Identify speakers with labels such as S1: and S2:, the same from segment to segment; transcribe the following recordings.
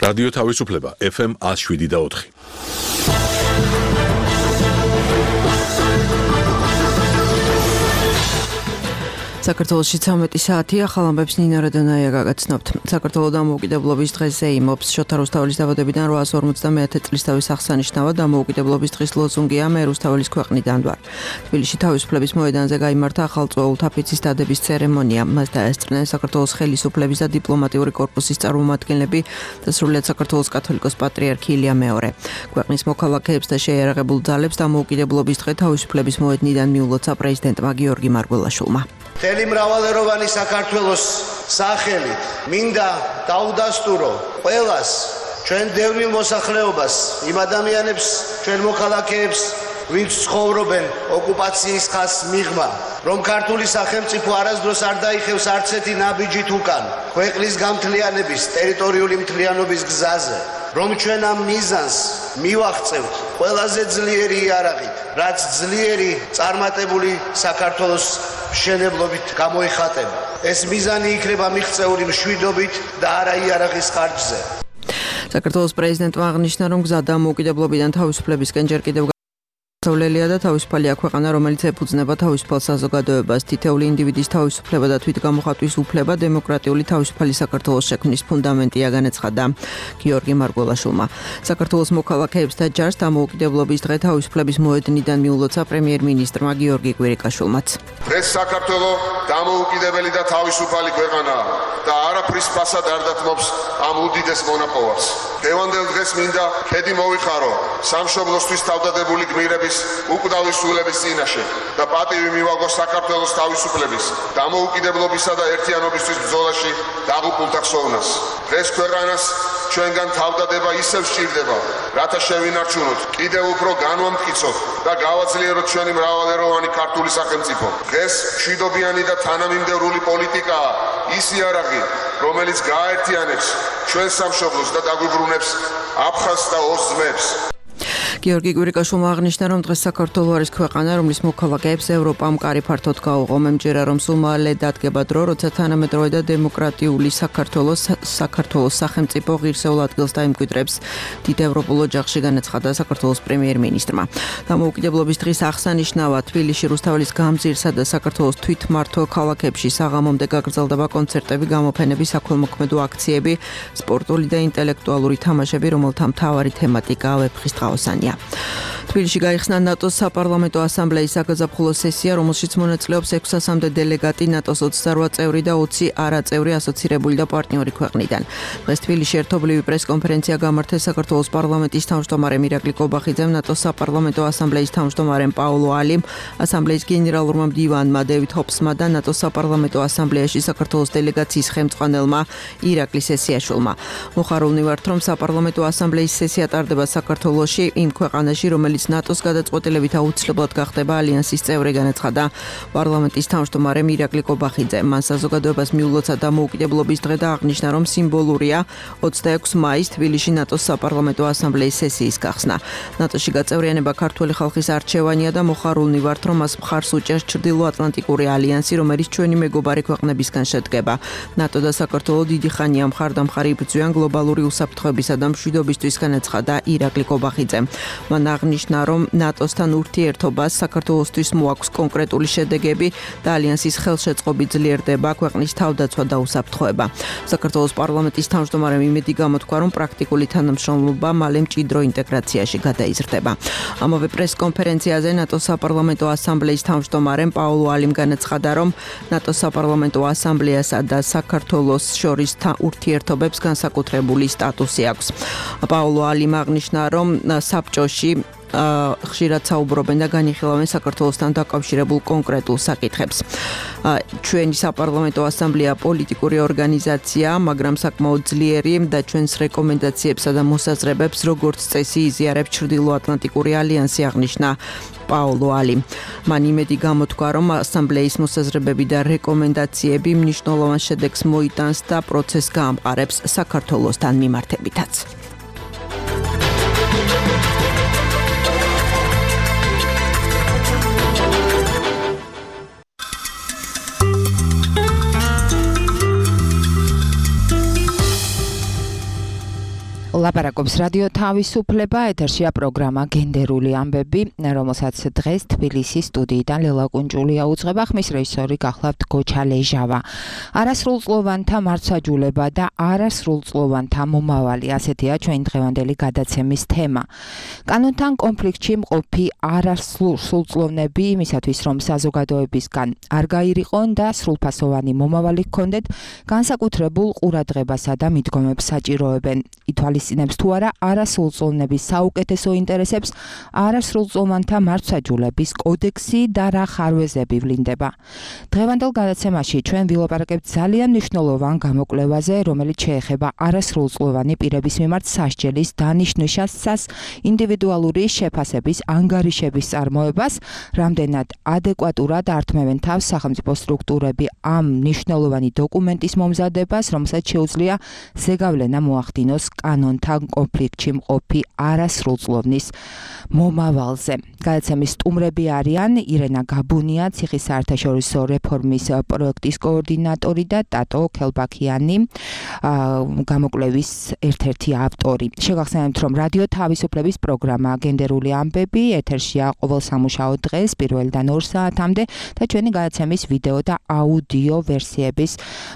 S1: რადიო თავისუფლება FM 107.4.
S2: საქართველოში 13 საათია, ახალ ამბებს ნინა რადონაია გაგაცნობთ. საქართველოს დამოუკიდებლობის დღეზე იმობს შოთა რუსთაველის დაბადებიდან 851 წლის თავის აღსანიშნავად დამოუკიდებლობის დღის ლოზუნგია მე რუსთაველის ქვეყნიდან ვარ. თბილისში თავისუფლების მოედანზე გაიმართა ახალწვეულთა ფიცის დადების ცერემონია. მას დაესწრნენ საქართველოს ხელისუფლების და დიპლომატიური კორპუსის წარმომადგენლები და სრულიად საქართველოს კათოლიკოს პატრიარქი ილია მეორე. ქვეყნის მოქალაქეებს და შეიარაღებულ ძალებს დამოუკიდებლობის დღე თავისუფლების მოედნიდან მიულოცა პრეზიდენტმა გიორგი მარგველაშვილმა.
S3: მთელი მრავალეროვანი საქართველოს სახელით მინდა დაუდასტურო ყველას, ჩვენ დევნილ მოსახლეობას, იმ ადამიანებს, ჩვენ მოქალაქეებს, ვინც ცხოვრობენ ოკუპაციის ხაზს მიღმა, რომ ქართული სახელმწიფო არასდროს არ დაიხევს არც ერთი ნაბიჯით უკან ქვეყნის გამთლიანების, ტერიტორიული მთლიანობის გზაზე, რომ ჩვენ ამ მიზანს მივაღწევთ ყველაზე ძლიერი იარაღით, რაც ძლიერი წარმატებული საქართველოს მშენებლობით გამოიხატება. ეს მიზანი იქნება მიღწეული მშვიდობით და არა იარაღის ხარჯზე.
S2: საქართველოს პრეზიდენტმა აღნიშნა, რომ გზა დამოუკიდებლობიდან თავისუფლებისკენ ჯერ კიდევ გასავლელია და თავისუფალია ქვეყანა, რომელიც ეფუძნება თავისუფალ საზოგადოებას. თითოეული ინდივიდის თავისუფლება და თვითგამოხატვის უფლება დემოკრატიული თავისუფალი საქართველოს შექმნის ფუნდამენტია, განაცხადა გიორგი მარგველაშვილმა. საქართველოს მოქალაქეებს და ჯარს დამოუკიდებლობის დღე თავისუფლების მოედნიდან მიულოცა პრემიერ-მინისტრმა გიორგი კვირიკაშვილმაც.
S4: დღეს საქართველო დამოუკიდებელი და თავისუფალი ქვეყანაა და არაფრის ფასად არ დათმობს ამ უდიდეს მონაპოვარს. დღევანდელ დღეს მინდა ქედი მოვიხარო სამშობლოსთვის თავდადებული გმირების უკვდავი სულების წინაშე და პატივი მივაგო საქართველოს თავისუფლების, დამოუკიდებლობისა და ერთიანობისთვის ბრძოლაში დაღუპულთა ხსოვნას. დღეს ქვეყანას ჩვენგან თავდადება ისევ სჭირდება, რათა შევინარჩუნოთ, კიდევ უფრო განვამტკიცოთ და გავაძლიეროთ ჩვენი მრავალეროვანი ქართული სახელმწიფო. დღეს მშვიდობიანი და თანამიმდევრული პოლიტიკაა ის იარაღი, რომელიც გააერთიანებს ჩვენ სამშობლოს და დაგვიბრუნებს აფხაზს და ოს ძმებს.
S2: გიორგი კვირიკაშვილმა აღნიშნა, რომ დღეს საქართველო არის ქვეყანა, რომლის მოქალაქეებს ევროპამ კარი ფართოდ გაუღო. მემჯერა, რომ სულ მალე დადგება დრო, როცა თანამედროვე და დემოკრატიული საქართველოს სახელმწიფო ღირსეულ ადგილს დაიმკვიდრებს დიდ ევროპულ ოჯახში, განაცხადა საქართველოს პრემიერ-მინისტრმა. დამოუკიდებლობის დღის აღსანიშნავად თბილისში რუსთაველის გამზირსა და საქართველოს თვითმმართველ ქალაქებში საღამომდე გაგრძელდება კონცერტები, გამოფენები, საქველმოქმედო აქციები, სპორტული და ინტელექტუალური თამაშები, რომელთა მთავარი თემატიკაა ვეფხისტყაოსანი. თბილისში გაიხსნა ნატოს საპარლამენტო ასამბლეის საგაზაფხულო სესია, რომელშიც მონაწილეობს 600-მდე დელეგატი ნატოს 28 წევრი და 20 არაწევრი ასოცირებული და პარტნიორი ქვეყნიდან. დღეს თბილისში ერთობლივი პრესკონფერენცია გამართეს საქართველოს პარლამენტის თავმჯდომარემ ირაკლი კობახიძემ, ნატოს საპარლამენტო ასამბლეის თავმჯდომარემ პაულო ალიმ, ასამბლეის გენერალურმა მდივანმა დევიდ ჰოპსმა და ნატოს საპარლამენტო ასამბლეაში საქართველოს დელეგაციის ხელმძღვანელმა ირაკლი სესიაშვილმა. მოხარულნი ვართ, რომ საპარლამენტო ასამბლეის სესია ტარდება საქართველოში, იმ ქვეყანაში, რომელიც ნატოს გადაწყვეტილებით აუცილებლად გახდება ალიანსის წევრი, განაცხადა პარლამენტის თავმჯდომარემ ირაკლი კობახიძე. მან საზოგადოებას მიულოცა დამოუკიდებლობის დღე და აღნიშნა, რომ სიმბოლურია 26 მაისს თბილისში ნატოს საპარლამენტო ასამბლეის სესიის გახსნა. ნატოში გაწევრიანება ქართული ხალხის არჩევანია და მოხარულნი ვართ, რომ მას მხარს უჭერს ჩრდილოატლანტიკური ალიანსი, რომელიც ჩვენი მეგობარი ქვეყნებისგან შედგება. ნატო და საქართველო დიდი ხანია მხარდამხარი იბრძვიან გლობალური უსაფრთხოებისა და მშვიდობისთვის, განაცხადა ირაკლი კობახიძე. მან აღნიშნა, რომ ნატოსთან ურთიერთობას საქართველოსთვის მოაქვს კონკრეტული შედეგები და ალიანსის ხელშეწყობი ძლიერდება, ქვეყნის თავდაცვა და უსაფრთხოება. საქართველოს პარლამენტის თავმჯდომარემ იმედი გამოთქვა, რომ პრაქტიკული თანამშრომლობა მალე მჭიდრო ინტეგრაციაში გადაიზრდება. ამავე პრესკონფერენციაზე ნატოს საპარლამენტო ასამბლეის თავმჯდომარემ პაულო ალიმ განაცხადა, რომ ნატოს საპარლამენტო ასამბლეასა და საქართველოს შორის ურთიერთობებს განსაკუთრებული სტატუსი აქვს. პაულო ალიმ აღნიშნა, რომ საბჭოში ხშირად საუბრობენ და განიხილავენ საქართველოსთან დაკავშირებულ კონკრეტულ საკითხებს. ჩვენი საპარლამენტო ასამბლეა პოლიტიკური ორგანიზაცია, მაგრამ საკმაოდ ძლიერი და ჩვენს რეკომენდაციებსა და მოსაზრებებს როგორც წესი იზიარებს ჩრდილოატლანტიკური ალიანსი, აღნიშნა პაულო ალიმ. მან იმედი გამოთქვა, რომ ასამბლეის მოსაზრებები და რეკომენდაციები მნიშვნელოვან შედეგს მოიტანს და პროცესს გაამყარებს საქართველოსთან მიმართებითაც.
S5: ლაპარაკობს რადიო თავისუფლება, ეთერშია პროგრამა გენდერული ამბები, რომელსაც დღეს თბილისის სტუდიიდან ლელა კუნჭულია უძღვება, ხმის რეჟისორი გახლავთ გოჩა ლეჟავა. არასრულწლოვანთა მარცვაჯულება და არასრულწლოვანთა მომავალი, ასეთია ჩვენი დღევანდელი გადაცემის თემა. კანონთან კონფლიქტში მყოფი არასრულწლოვნები იმისათვის, რომ საზოგადოებისგან არ გაირიყვონ და სრულფასოვანი მომავალი ჰქონდეთ, განსაკუთრებულ ყურადღებასა და მიდგომებს საჭიროებენ. ითვალისწინებს თუ არა არასრულწლოვნების საუკეთესო ინტერესებს არასრულწლოვანთა მარცვაჯულების კოდექსი და რა ხარვეზები ვლინდება. დღევანდელ გადაცემაში ჩვენ ვილაპარაკებთ ძალიან მნიშვნელოვან გამოკვლევაზე, რომელიც შეეხება არასრულწლოვანი პირების მიმართ სასჯელის დანიშნვისას ინდივიდუალური შეფასების ანგარიშების წარმოებას, რამდენად ადეკვატურად ართმევენ თავს სახელმწიფო სტრუქტურები ამ მნიშვნელოვანი დოკუმენტის მომზადებას, რომელსაც შეუძლია ზეგავლენა მოახდინოს კანონთან კონფლიქტში მყოფი არასრულწლოვნის მომავალზე. გადაცემის სტუმრები არიან ირენა გაბუნია, ციხის საერთაშორისო რეფორმის პროექტის კოორდინატორი და ტატო ქელბაქიანი, გამოკვლევის ერთ-ერთი ავტორი. შეგახსენებთ, რომ რადიო თავისუფლების პროგრამა გენდერული ამბები ეთერშია ყოველ სამუშაო დღეს 1-დან 2 საათამდე და ჩვენი გადაცემის ვიდეო და აუდიო ვერსიების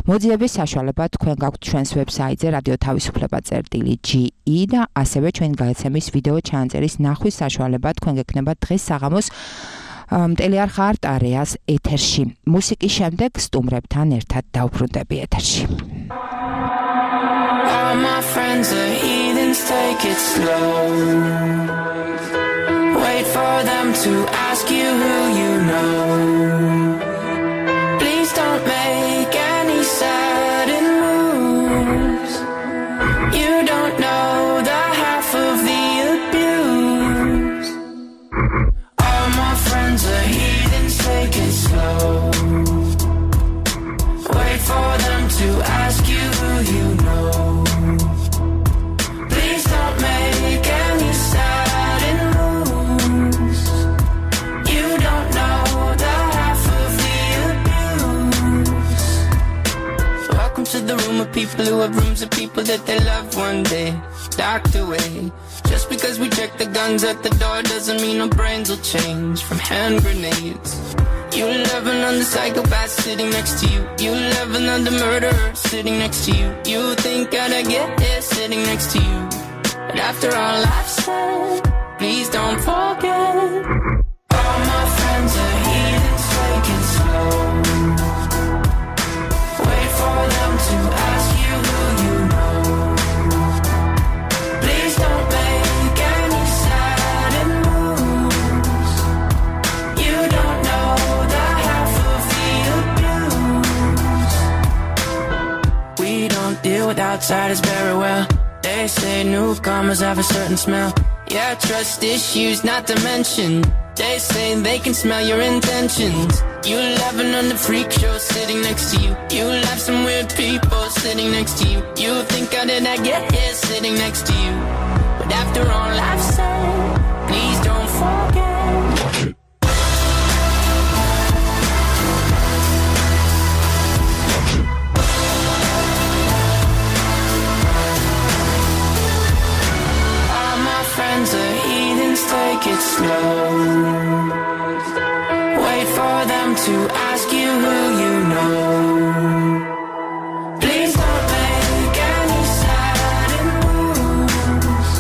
S5: მოძიების საშუალება თქვენ გაქვთ ჩვენს ვებსაიტზე radiotavisupleba.ge და ასევე ჩვენი გადაცემის ვიდეო ჩანაწერის ნახვის საშუალება თქვენ გექნება დღეს საღამოს მტელიარხ არტ-არეას ეთერში. მუსიკის შემდეგ სტუმრებთან ერთად დავბრუნდები ეთერში.
S6: All my friends are heathens, take it slow. Wait for them to ask you who you know. Please don't make any sudden moves. You don't know the half of the abuse. All my friends are heathens, take it slow. Wait for them to ask you who you know. Please don't make any sudden moves. You don't know the half of the abuse. Welcome to the room of people who have rooms of people that they love one day docked away. Just because we check the guns at the door doesn't mean our brains will change from hand grenades. You love another psychopath sitting next to you. You love another murderer sitting next to you. You think I'd get here sitting next to you. But after all I've said, please don't forget. All my friends are heathens, take it slow. Wait for them to ask you who you know. Please don't make any sudden moves. You don't know the half of the abuse. We don't deal with outsiders very well. They say newcomers have a certain smell. Yeah, trust issues not to mention. They say they can smell your intentions. You laughing on the freak show sitting next to you. You laugh some weird people sitting next to you. You think how did I get here sitting next to you. But after all I've said, please don't forget. All my friends are heathens, take it slow. Wait for them to ask you who you know. Please don't make any sudden moves.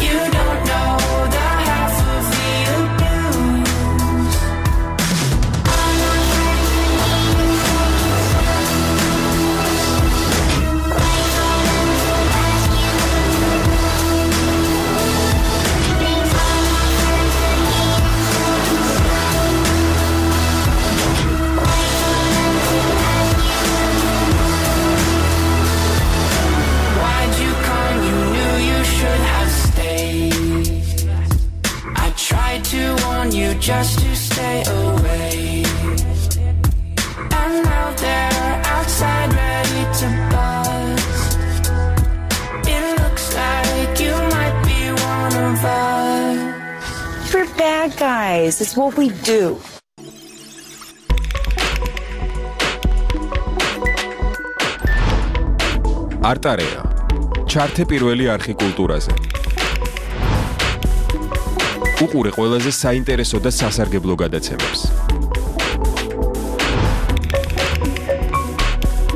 S6: You don't know the half of the abuse. Why'd you come? You knew you should have stayed. I tried to warn you just to stay away. And now they're outside ready to bust. It looks like you might be one of us.
S7: We're bad guys. It's what we do.
S1: არტ-არეა
S8: ჩართე პირველი არხი კულტურაზე. უყურე ყველაზე საინტერესო და სასარგებლო გადაცემებს.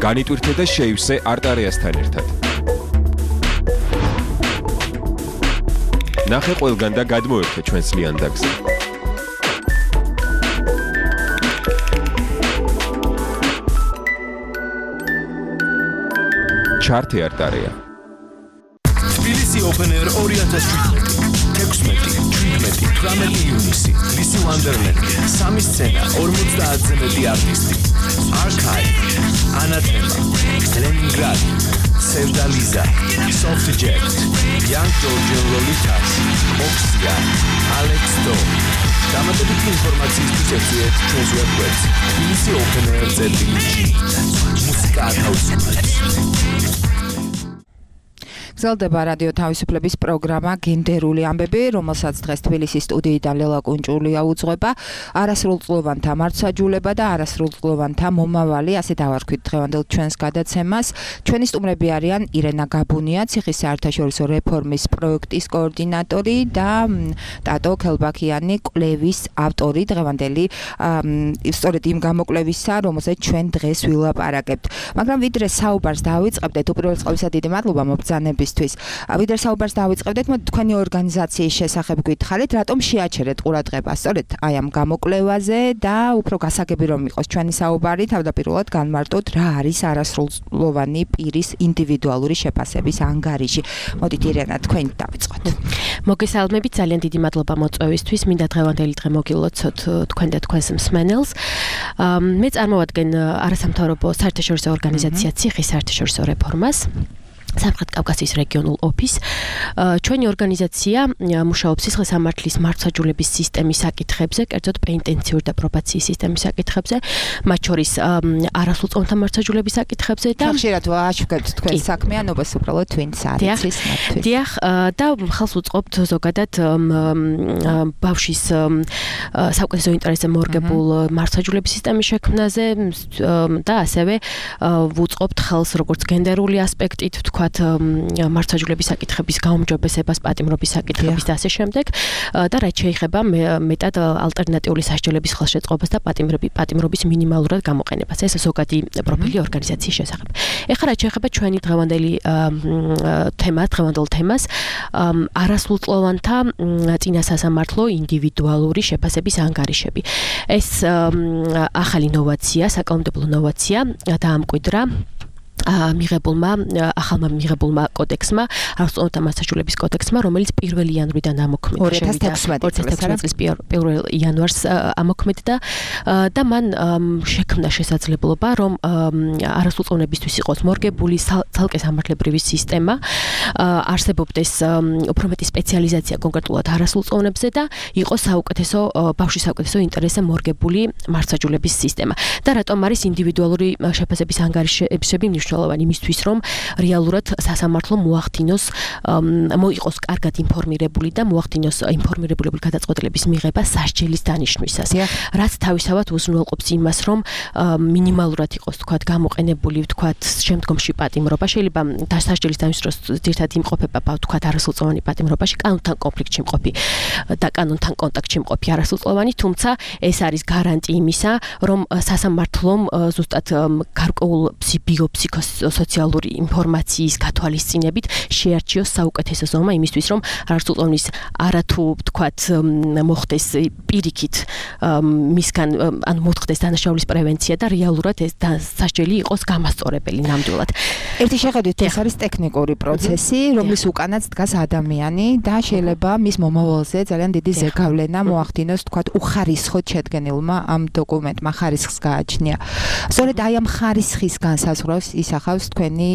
S8: განიტვირთე და შეივსე არტარეასთან ერთად. ნახე ყველგან და გადმოერთე ჩვენს ლიანდაგზე. ჩართე არტარეა.
S9: თბილისი Open Air 2017 18 ივნისი ლისი ვანდერლენდი 3 სცენა 50-ზე მეტი არტისტი Archive Anathema Leningrad Sevdaliza Soft Jet Young Georgian Lolitas Oxia Alex Do დამატებითი ინფორმაციისთვის ეწვიეთ ჩვენს ვებგვერდს tbilisi.openair.gr მუსიკა ათავისუფლებს
S5: გრძელდება რადიო თავისუფლების პროგრამა გენდერული ამბები, რომელსაც დღეს თბილისის სტუდიიდან ლელა კუნჭულია უძღვება. არასრულწლოვანთა მართლმსაჯულება და არასრულწლოვანთა მომავალი, ასე დავარქვით დღევანდელ ჩვენს გადაცემას. ჩვენი სტუმრები არიან ირენა გაბუნია, ციხის საერთაშორისო რეფორმის პროექტის კოორდინატორი და ტატო ქელბაქიანი, კვლევის ავტორი დღევანდელი სწორედ იმ გამოკვლევისა, რომელზეც ჩვენ დღეს ვილაპარაკებთ. მაგრამ ვიდრე საუბარს დავიწყებდეთ, უპირველეს ყოვლისა დიდი მადლობა მობრძანების ვიდრე საუბარს დავიწყებდეთ, თქვენი ორგანიზაციის შესახებ გითხარით, რატომ შეაჩერეთ ყურადღება სწორედ აი ამ გამოკვლევაზე და უფრო გასაგები რომ იყოს ჩვენი საუბარი, თავდაპირველად განმარტოთ რა არის არასრულწლოვანი პირის ინდივიდუალური შეფასების ანგარიში. მოდით ირენა, თქვენ დავიწყოთ.
S10: მოგესალმებით, ძალიან დიდი მადლობა მოწვევისთვის. მინდა დღევანდელი დღე მოგილოცოთ თქვენ და თქვენს მსმენელს. მე წარმოვადგენ არასამთავრობო საერთაშორისო ორგანიზაცია ციხის საერთაშორისო რეფორმას. სამხრეთ კავკასიის რეგიონულ ოფისს. ჩვენი ორგანიზაცია მუშაობს სისხლისამართლის მართლმსაჯულების სისტემის საკითხებზე, კერძოდ პენიტენციური და პრობაციის სისტემის საკითხებზე, მათ შორის არასრულწლოვანთა მართლმსაჯულების საკითხებზე და
S5: ხშირად ვაჩვენებთ თქვენ საქმიანობას უბრალოდ twins არის მათთვის.
S10: დიახ, და ხალხს უწყობთ ზოგადად ბავშვის საუკეთესო ინტერესზე მორგებულ მართლმსაჯულების სისტემის შექმნაზე და ასევე ვუწყობთ ხალხს როგორც გენდერული ასპექტით მართლმსაჯულების საკითხების გაუმჯობესებას, პატიმრობის საკითხების და ასე შემდეგ და რაც შეეხება მეტად ალტერნატიული სასჯელების ხელშეწყობას და პატიმრობის მინიმალურად გამოყენებას. ეს ზოგადი პროფილი ორგანიზაციის შესახებ. ეხლა რაც შეეხება ჩვენი დღევანდელ თემას, არასრულწლოვანთა წინა სასამართლო ინდივიდუალური შეფასების ანგარიშები. ეს ახალი ნოვაცია, საკანონმდებლო ნოვაცია დაამკვიდრა ახალმა მიღებულმა კოდექსმა, არასრულწლოვანთა მართლმსაჯულების კოდექსმა, რომელიც 1 იანვრიდან ამოქმედა 2016 წლის 1 იანვარს ამოქმედა და მან შექმნა შესაძლებლობა, რომ არასრულწლოვნებისთვის იყოს მორგებული ცალკე სამართლებრივი სისტემა, არსებობდეს უფრო მეტი სპეციალიზაცია კონკრეტულად არასრულწლოვნებზე და იყოს ბავშვის საუკეთესო ინტერესზე მორგებული მართლმსაჯულების სისტემა. და რატომ არის ინდივიდუალური შეფასების ანგარიშები მნიშვნელოვანი იმისთვის, რომ რეალურად სასამართლო მოახდინოს, მოიყოს კარგად ინფორმირებული და მოახდინოს ინფორმირებული გადაწყვეტილების მიღება სასჯელის დანიშვნისას. რაც თავისთავად უზრუნველყოფს იმას, რომ მინიმალურად იყოს გამოყენებული შემდგომში პატიმრობა. შეიძლება სასჯელის დანიშნოს ძირითადად იმყოფება არასრულწლოვანი პატიმრობაში, კანონთან კონფლიქტში მყოფი და კანონთან კონტაქტში მყოფი არასრულწლოვანი, თუმცა ეს არის გარანტი იმისა, რომ სასამართლომ ზუსტად გარკვეულ ფსიქოსოციალური ინფორმაციის გათვალისწინებით შეარჩიოს საუკეთესო ზომა იმისთვის, რომ არასრულწლოვნის არათუ მოხდეს პირიქით მისგან მოხდეს დანაშაულის პრევენცია და რეალურად ეს სასჯელი იყოს გამასწორებელი ნამდვილად.
S5: ერთი შეხედვით ეს არის ტექნიკური პროცესი, რომლის უკანაც დგას ადამიანი და შეიძლება მის მომავალზე ძალიან დიდი ზეგავლენა მოახდინოს, უხარისხოდ შედგენილმა ამ დოკუმენტმა ხარისხს გააჩნია. სწორედ აი ამ ხარისხის განსაზღვრავს ისახავს თქვენი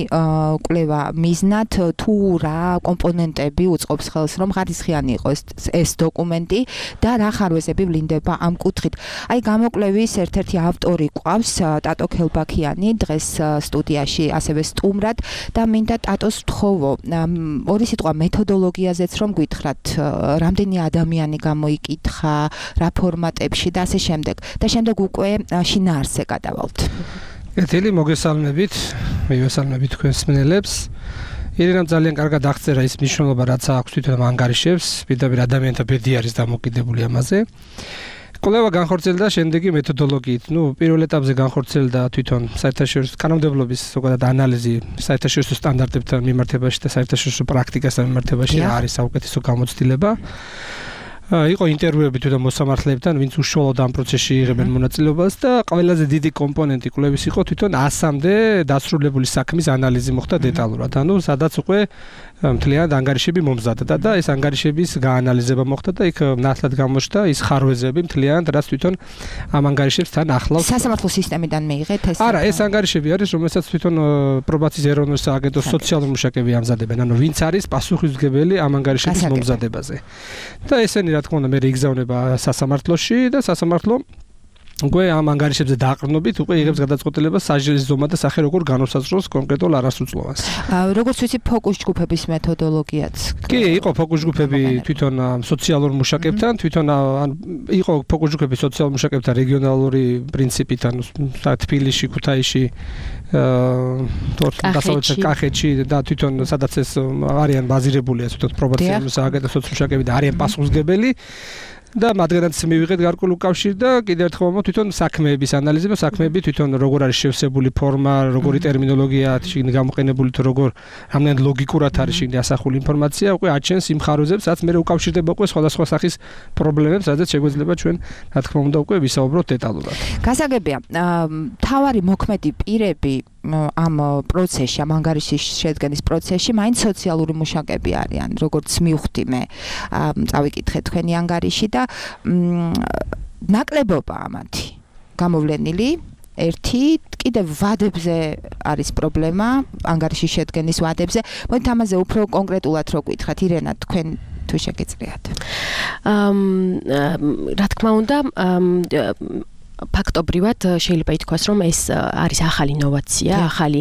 S5: კვლევა მიზნად, თუ რა კომპონენტები უწყობს ხელს, რომ ხარისხიანი იყოს ეს დოკუმენტი და რა ხარვეზები ვლინდება ამ კუთხით. აი გამოკვლევის ერთ-ერთი ავტორი ყავს ტატო ქელბაქიანი, დღეს სტუდიაში ასევე სტუმრად და მინდა ტატოს ვთხოვო ორი სიტყვა მეთოდოლოგიაზეც რომ გითხრათ, რამდენი ადამიანი გამოიკითხა, რა ფორმატებში და ასე შემდეგ და შემდეგ უკვე შინაარსზე გადავალთ.
S11: ეთილი მოგესალმებით, მივესალმებით თქვენს მსმენელებს. ირენამ ძალიან კარგად აღწერა ის მნიშვნელობა, რაც აქვს თვითონ ანგარიშებს, პირდაპირ ადამიანთა ბედი არის დამოკიდებული ამაზე. კვლევა განხორციელდა შემდეგი მეთოდოლოგიით. პირველ ეტაპზე განხორციელდა თვითონ საერთაშორისო კანონმდებლობის ზოგადად ანალიზი საერთაშორისო სტანდარტებთან მიმართებაში და საერთაშორისო პრაქტიკასთან მიმართებაში რა არის საუკეთესო გამოცდილება. იყო ინტერვიუები თვითონ მოსამართლეებთან, ვინც უშუალოდ ამ პროცესში იღებენ მონაწილეობას და ყველაზე დიდი კომპონენტი კვლევის იყო თვითონ 100-მდე დასრულებული საქმის ანალიზი მოხდა დეტალურად. ანუ სადაც უკვე მთლიანად ანგარიშები მომზადდა და ეს ანგარიშების გაანალიზება მოხდა და იქ ნათლად გამოჩნდა ის ხარვეზები მთლიანად, რაც თვითონ ამ ანგარიშებს თან ახლავს.
S5: სასამართლო სისტემიდან მიიღეთ ეს?
S11: არა, ეს ანგარიშები არის, რომელსაც თვითონ პრობაციის ეროვნული სააგენტოს სოციალური მუშაკები ამზადებენ. ანუ ვინც არის პასუხისმგებელი ამ ანგარიშების მომზადებაზე. და ესენი რა თქმა უნდა მე იგზავნება სასამართლოში და სასამართლო უკვე ამ ანგარიშებზე დააყრდნობით უკვე იღებს გადაწყვეტილებას საჯარო ზომა და სახე როგორ განუსაზღვროს კონკრეტულ არასრულწლოვანს.
S5: როგორც ვიცი ფოკუს ჯგუფების მეთოდოლოგიაც.
S11: კი, იყო ფოკუს ჯგუფები თვითონ სოციალურ მუშაკებთან, თვითონ იყო ფოკუს ჯგუფები სოციალურ მუშაკებთან რეგიონალური პრინციპით, ანუ თბილისში, ქუთაისში, დასავლეთ კახეთში და თვითონ სადაც ეს არიან ბაზირებულია თვითონ პრობაციული სააგენტო სოციალურ და არიან პასუხისმგებელი და მათგანაც მივიღეთ გარკვეულ კავშირს და კიდევ ერთხელ მომო თვითონ საქმეების ანალიზება, საქმეები თვითონ როგორ არის შევსებული ფორმა, როგორი ტერმინოლოგია შიგნით გამოყენებული თუ როგორ რამდენად ლოგიკურად არის შიგნით ასახული ინფორმაცია, უკვე აჩენს იმ ხარვეზებს, რაც მე უკავშირდება უკვე სხვადასხვა სახის პრობლემებს, რადგან შეგვეძლება ჩვენ რა თქმა უნდა უკვე ვისაუბროთ დეტალურად.
S5: გასაგებია, თავარი მოქმედი პირები ამ პროცესში, ამ ანგარიშის შედგენის პროცესში მაინც სოციალური მუშაკები არიან, როგორც მივხვდი მე. წავიკითხე თქვენი ანგარიში და ნაკლებობა ამათი გამოვლენილი. ერთი კიდევ ვადებზე არის პრობლემა, ანგარიშის შედგენის ვადებზე. მოდით ამაზე უფრო კონკრეტულად რო გითხრათ, ირენა, თქვენ თუ შეგიძლიათ.
S10: რა თქმა უნდა, ფაქტობრივად შეიძლება ითქვას, რომ ეს არის ახალი ინოვაცია, ახალი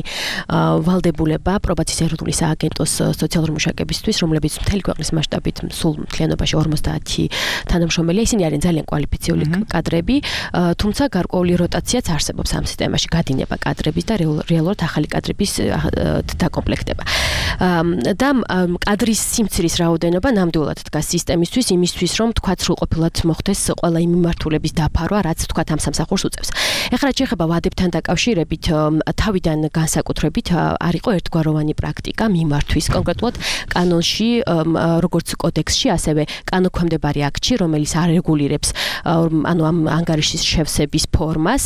S10: ვალდებულება პრობაციის ეროვნული სააგენტოს სოციალურ მუშაკებისთვის, რომლებიც მთელი ქვეყნის მასშტაბით სულ მთლიანობაში 50 თანამშრომელია, ისინი არიან ძალიან კვალიფიციური კადრები, თუმცა გარკვეული როტაციაც არსებობს ამ სისტემაში, გადინება კადრების და რეალურად ახალი კადრების დაკომპლექტება. და კადრის სიმცირის რაოდენობა ნამდვილად დგას სისტემისთვის, იმისთვის, რომ თქვა სრულყოფილად მოხდეს ყველა იმ მიმართულების დაფარვა, რაც თქვა ამ სამსახურს უწევს. ეხლა რაც შეეხება ვადებთან დაკავშირებით, თავიდან განსაკუთრებით არ იყო ერთგვაროვანი პრაქტიკა მიმართვის, კონკრეტულად კანონში, როგორც კოდექსში, ასევე კანონქვემდებარი აქტში, რომელიც არეგულირებს ანუ ამ ანგარიშის შევსების ფორმას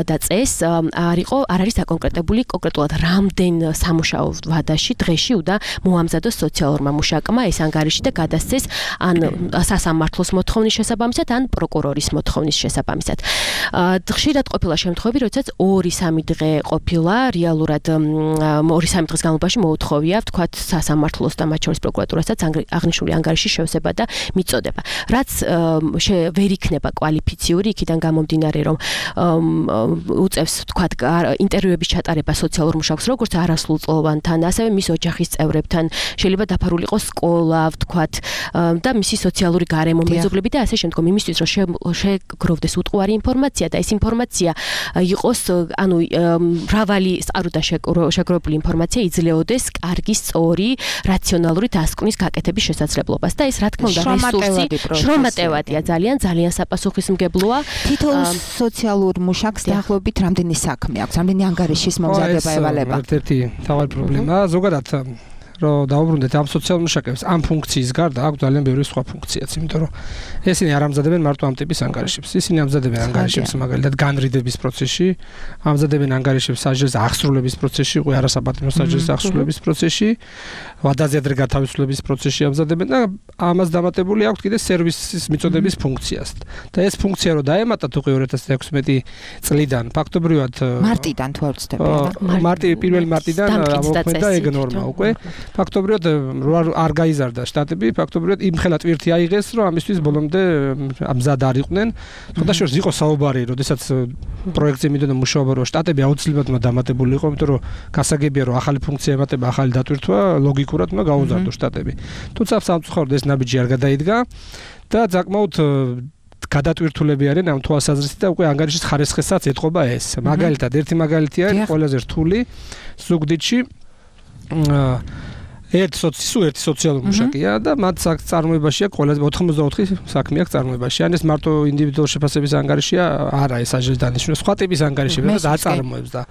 S10: და წესს, არ არის დაკონკრეტებული კონკრეტულად რამდენ სამუშაო ვადაში დღეში უნდა მოამზადოს სოციალურმა მუშაკმა ეს ანგარიში და გადასცეს ან სასამართლოს მოთხოვნის შესაბამისად, ან პროკურორის მოთხოვნის შესაბამისად. ხშირად ყოფილა შემთხვევები, როდესაც 2-3 დღე ყოფილა რეალურად 2-3 დღის განმავლობაში მოუთხოვია, ვთქვათ, სასამართლოს და მათ შორის პროკურატურასაც აღნიშნული ანგარიშის შევსება და მიწოდება. რაც ვერ იქნება კვალიფიციური, იქიდან გამომდინარე, რომ უწევს, ვთქვათ, ინტერვიუების ჩატარება სოციალურ მუშაკს, როგორც არასრულწლოვანთან, ასევე მის ოჯახის წევრებთან, შეიძლება დაფარული იყოს სკოლა, ვთქვათ, და მისი სოციალური გარემო, მეზობლები და ასე შემდგომ, იმისთვის, რომ შეგროვდეს უტყუარი ინფორმაცია და ეს ინფორმაცია იყოს, ანუ მრავალი წყაროდან შეგროვებული ინფორმაცია იძლეოდეს კარგი, სწორი, რაციონალური დასკვნის გაკეთების შესაძლებლობას და ეს რა თქმა უნდა რესურსი შრომატევადია, ძალიან საპასუხისმგებლოა.
S5: თითოეულ სოციალურ მუშაკს დაახლოებით რამდენი საქმე აქვს, რამდენი ანგარიშის მომზადება ევალება?
S11: ერთ-ერთი მთავარი პრობლემაა ზოგადად რომ დაუბრუნდეთ ამ სოციალურ მუშაკებს ამ ფუნქციის გარდა აქვს ძალიან ბევრი სხვა ფუნქციაც, იმიტომ რომ ესენი არ ამზადებენ მარტო ამ ტიპის ანგარიშებს. ისინი ამზადებენ ანგარიშებს მაგალითად განრიდების პროცესში, ამზადებენ ანგარიშებს საჯარო აღსრულების პროცესში, უკვე არასაპატიმრო საჯარო აღსრულების პროცესში, ვადაზე ადრე გათავისუფლების პროცესში ამზადებენ და ამას დამატებული აქვს კიდე სერვისის მიწოდების ფუნქციას. და ეს ფუნქცია რო დაემატათ უკვე 2016 წლიდან, ფაქტობრივად
S5: მარტიდან თუ არ ვცდები,
S11: პირველ მარტიდან ამოქმედა ეგ ნორმა უკვე. ფაქტობრივად არ გაიზარდა შტატები, ფაქტობრივად იმხელა ტვირთი აიღეს, რომ ამისთვის ბოლომდე ამზად არ იყვნენ. ხოდაშორს იყო საუბარი, როდესაც პროექტზე მიდოდა მუშაობა, რომ შტატები აუცილებლად უნდა დამატებული იყო, იმიტომ რომ გასაგებია, რომ ახალი ფუნქცია ემატება, ახალი დატვირთვა, ლოგიკურად უნდა გაუზარდოს შტატები. თუმცა სამწუხაროდ ეს ნაბიჯი არ გადაიდგა და საკმაოდ გადატვირთულები არიან ამ თვალსაზრისით და უკვე ანგარიშის ხარისხისაც ეთყობა ეს. მაგალითად, ერთი მაგალითი არის ყველაზე რთული ზუგდიდში ერთი სოციალური მუშაკია და მათ წარმოებაშია ყველაზე 84 საქმე აქვს წარმოებაში. ან ეს მარტო ინდივიდუალური შეფასების ანგარიშია, არა ეს აჟის დანიშნულება, სხვა ტიპის ანგარიშები და აწარმოებს და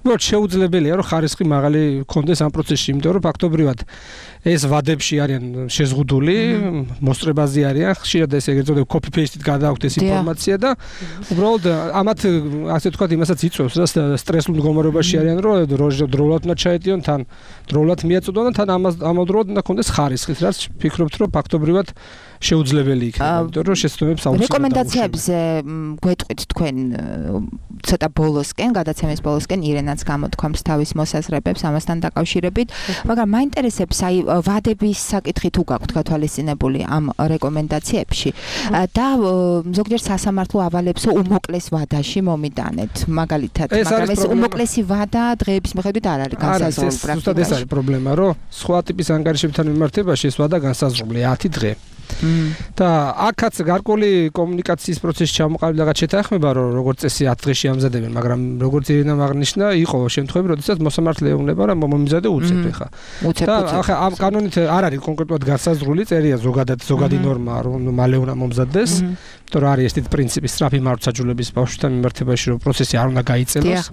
S11: უბრალოდ შეუძლებელია რომ ხარისხი მაღალი კონდეს ამ პროცესში, იმიტომ რომ ფაქტობრივად ეს ვადებში არიან შეზღუდული, მოსწრებაზე არიან, ხშირად ეს ეგრეთ წოდებული copy paste-ით გადააქვთ ეს ინფორმაცია და უბრალოდ ამათ ასე ვთქვათ იმასაც იწვევს და სტრესულ მდგომარეობაში არიან რომ დროულად უნდა ჩაეტიონ, თან დროულად მიაწოდონ და თან ამავდროულად უნდა კონდეს ხარისხიც, რაც ფიქრობთ რომ ფაქტობრივად შეუძლებელი იქნება, იმიტომ რომ შეცდომებს აუცილებლად
S5: რეკომენდაციებზე გვეტყვით თქვენ ცოტა ბოლოსკენ, გადაცემის ბოლოსკენ ირენაც გამოთქვამს თავის მოსაზრებებს ამასთან დაკავშირებით, მაგრამ მაინტერესებს აი ვადების საკითხი თუ გაქვთ გათვალისწინებული ამ რეკომენდაციებში და ზოგჯერ სასამართლო ავალებს უმოკლეს ვადაში მომიტანეთ, მაგალითად, მაგრამ ეს უმოკლესი ვადა დღეების მიხედვით არ არის განსაზღვრული პრაქტიკაში.
S11: ეს არის პრობლემა, რომ სხვა ტიპის ანგარიშებთან მიმართებაში ეს ვადა განსაზღვრულია 10 დღე. და აქაც გარკვეული კომუნიკაციის პროცესი ჩამოყალიბდა რაღაც შეთანხმება რომ როგორც წესი 10 დღეში ამზადებენ, მაგრამ როგორც ირინამ აღნიშნა, იყო შემთხვევები, როდესაც მოსამართლე ეუბნება რომ მომიზადე უცებ ხა. და ახლა ამ კანონით არ არის კონკრეტულად განსაზღვრული, წერია ზოგადი ნორმა რომ მალე უნდა მომზადდეს. იმიტომ რომ არის ეს პრინციპი სწრაფი მართლმსაჯულების ბავშვთან მიმართებაში რომ პროცესი არ უნდა გაიწელოს.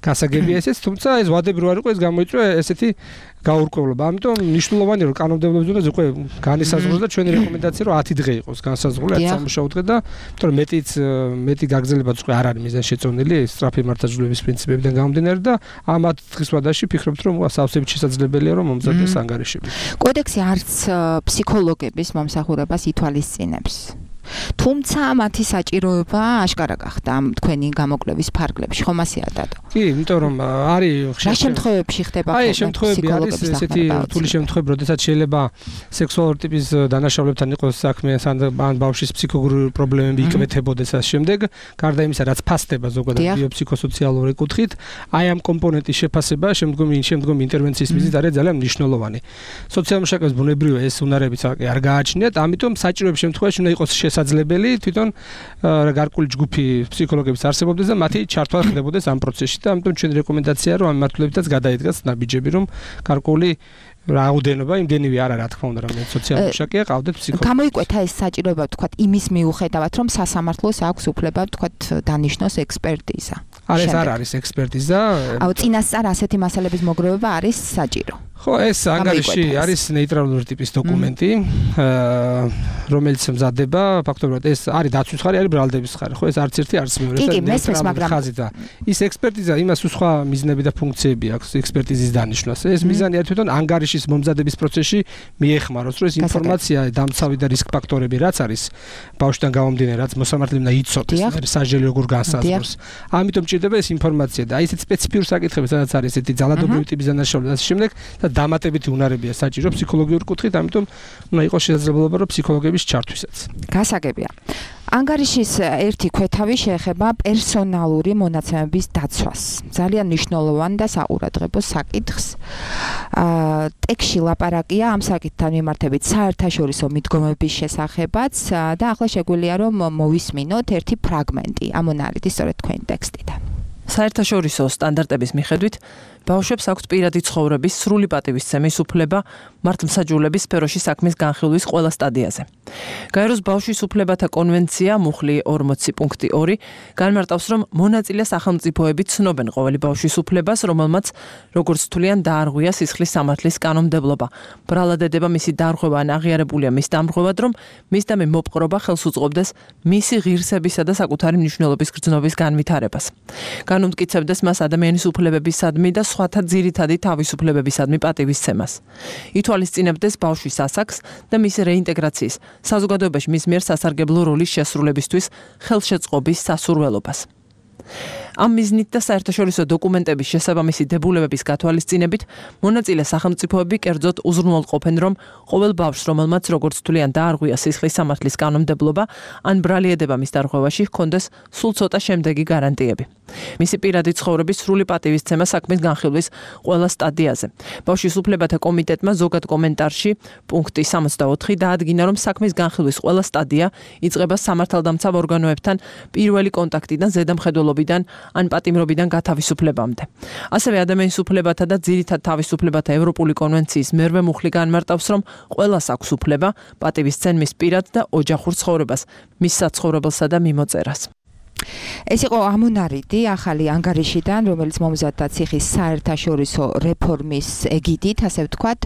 S11: გასაგებია ესეც, თუმცა ეს ვადები რო არ იყო ეს გამოიწვია ესეთი გაურკვევლობა. ამიტომ მნიშვნელოვანია რომ კანონმდებლობის დონეზე უკვე განისაზღვროს და ჩვენი რეკომენდაცია რომ 10 დღე იყოს განსაზღვრული, 10 სამუშაო დღე და იმიტომ რომ მეტი გაგრძელებაც უკვე არ არის მიზანშეწონილი სწრაფი მართლმსაჯულების პრინციპებიდან გამომდინარე და ამ 10 დღის ვადაში ფიქრობთ რომ სავსებით შესაძლებელია რომ მომზადდეს ანგარიშები.
S5: კოდექსი არც ფსიქოლოგების მომსახურებას ითვალისწინებს. თუმცა მათი საჭიროება აშკარა გახდა ამ თქვენი გამოკვლევის ფარგლებში, ხომ ასეა დადო?
S11: კი, იმიტომ რომ არის
S5: რა შემთხვევებში ხდება
S11: აი შემთხვევები არის ესეთი რთული შემთხვევები, როდესაც შეიძლება სექსუალური ტიპის დანაშაულებთან იყოს საქმე, ან ბავშვის ფსიქოლოგიური პრობლემები იკვეთებოდეს ამ შემდეგ, გარდა იმისა, რაც ფასდება ზოგადად ბიოფსიქოსოციალური კუთხით, აი ამ კომპონენტის შეფასება შემდგომი ინტერვენციის მიზნით არის ძალიან მნიშვნელოვანი. სოციალურ მუშაკებს ბუნებრივია ეს უნარებიც არ გააჩნიათ, ამიტომ საჭიროების შემთხვევაში უნდა იყოს შესაძლებელი თვითონ გარკვეული ჯგუფი ფსიქოლოგების არსებობდეს და მათი ჩართვა ხდებოდეს ამ პროცესში და ამიტომ ჩვენი რეკომენდაციაა რომ ამ მართლებითაც გადაიდგას ნაბიჯები რომ გარკვეული რაოდენობა იმდენივე არა რა თქმა უნდა რომ სოციალური მუშაკია ყავდეთ ფსიქოლოგი.
S5: გამოიკვეთა ეს საჭიროება ვთქვათ იმის მიუხედავად რომ სასამართლოს აქვს უფლება ვთქვათ დანიშნოს ექსპერტიზა.
S11: ეს არ არის ექსპერტიზა.
S5: აუ წინასწარ ასეთი მასალების მოგროვება არის საჭირო.
S11: ხო, ეს ანგარიში არის ნეიტრალური ტიპის დოკუმენტი, რომელიც მზადდება, ფაქტობრივად ეს არის დაცვის ხარი, არის ბრალდების ხარი. ხო, ეს არც ერთი არც მეორე,
S5: ეს ნეიტრალური ხაზი
S11: და ის ექსპერტიზა იმას სხვა მიზნები და ფუნქციები აქვს ექსპერტიზის დანიშვნას. ეს მიზანი არის თვითონ ანგარიშის მომზადების პროცესში მიეხმაროს, რომ ეს ინფორმაცია, დამცავი და რისკ ფაქტორები რაც არის ბავშვთან გამომდინარე, რაც მოსამართლემ და იცოდეს, არის სასჯელი როგორ განსაზღვროს. ამიტომ ჭირდება ეს ინფორმაცია და აი ესეთ სპეციფიური საკითხები, სადაც არის ესეთი ძალადობრივი ტიპის დანაშაულება და შემდეგ და დამატებითი უნარებია საჭირო ფსიქოლოგიური კუთხით, ამიტომ უნდა იყოს შესაძლებლობა რომ ფსიქოლოგების ჩართვისაც.
S5: გასაგებია. ანგარიშის ერთი ქვეთავი შეეხება პერსონალური მონაცემების დაცვას. ძალიან მნიშვნელოვანი და საყურადღებო საკითხს. ტექსში ლაპარაკია ამ საკითხთან მიმართებით საერთაშორისო მიდგომების შესახებაც და ახლა შეგვიძლია რომ მოვისმინოთ ერთი ფრაგმენტი ამ მონალითის სწორედ თქვენი ტექსტიდან.
S12: საერთაშორისო სტანდარტების მიხედვით ბავშვებს აქვთ პირადი ცხოვრების სრული პატივისცემის უფლება მართლმსაჯულების სფეროში საქმის განხილვის ყველა სტადიაზე. გაეროს ბავშვის უფლებათა კონვენცია მუხლი 40.2 განმარტავს, რომ მონაწილე სახელმწიფოები ცნობენ ყოველი ბავშვის უფლებას, რომელმაც როგორც თვლიან დაარღვია სისხლის სამართლის კანონმდებლობა. ბრალადედება მისი დარღვევა ან აღიარებულია მის დამრღვევად, რომ მისდამი მოპყრობა ხელს უწყობდეს მისი ღირსებისა და საკუთარი მნიშვნელობის გრძნობის განვითარებას. განუმტკიცებდეს მას ადამიანის უფლებებისადმი და სხვათა ძირითადი თავისუფლებებისადმი პატივისცემას. ითვალისწინებდეს ბავშვის ასაკს და მისი რეინტეგრაციის, საზოგადოებაში მის მიერ სასარგებლო როლის შესრულებისთვის ხელშეწყობის სასურველობას. ამ მიზნით და საერთაშორისო დოკუმენტების შესაბამისი დებულებების გათვალისწინებით მონაწილე სახელმწიფოები კერძოდ უზრუნველყოფენ, რომ ყოველ ბავშვს, რომელმაც როგორც თვლიან დაარღვია სისხლის სამართლის კანონმდებლობა, ან ბრალი ედება მის დარღვევაში, ჰქონდეს სულ ცოტა შემდეგი გარანტიები. მისი პირადი ცხოვრების სრული პატივისცემა საქმის განხილვის ყველა სტადიაზე. ბავშვის უფლებათა კომიტეტმა ზოგად კომენტარში პუნქტი 64 დაადგინა, რომ საქმის განხილვის ყველა სტადია იწყება სამართალდამცავ ორგანოებთან პირველი კონტაქტიდან, ზედამხედველობიდან ან პატიმრობიდან გათავისუფლებამდე. ასევე ადამიანის უფლებათა და ძირითად თავისუფლებათა ევროპული კონვენციის მერვე მუხლი განმარტავს, რომ ყველას აქვს უფლება პატივისცენ მის პირად და ოჯახურ ცხოვრებას, მის საცხოვრებელსა და მიმოწერას.
S5: ეს იყო ამონარიდი ახალი ანგარიშიდან, რომელიც მომზადდა ციხის საერთაშორისო რეფორმის ეგიდით, ასე ვთქვათ.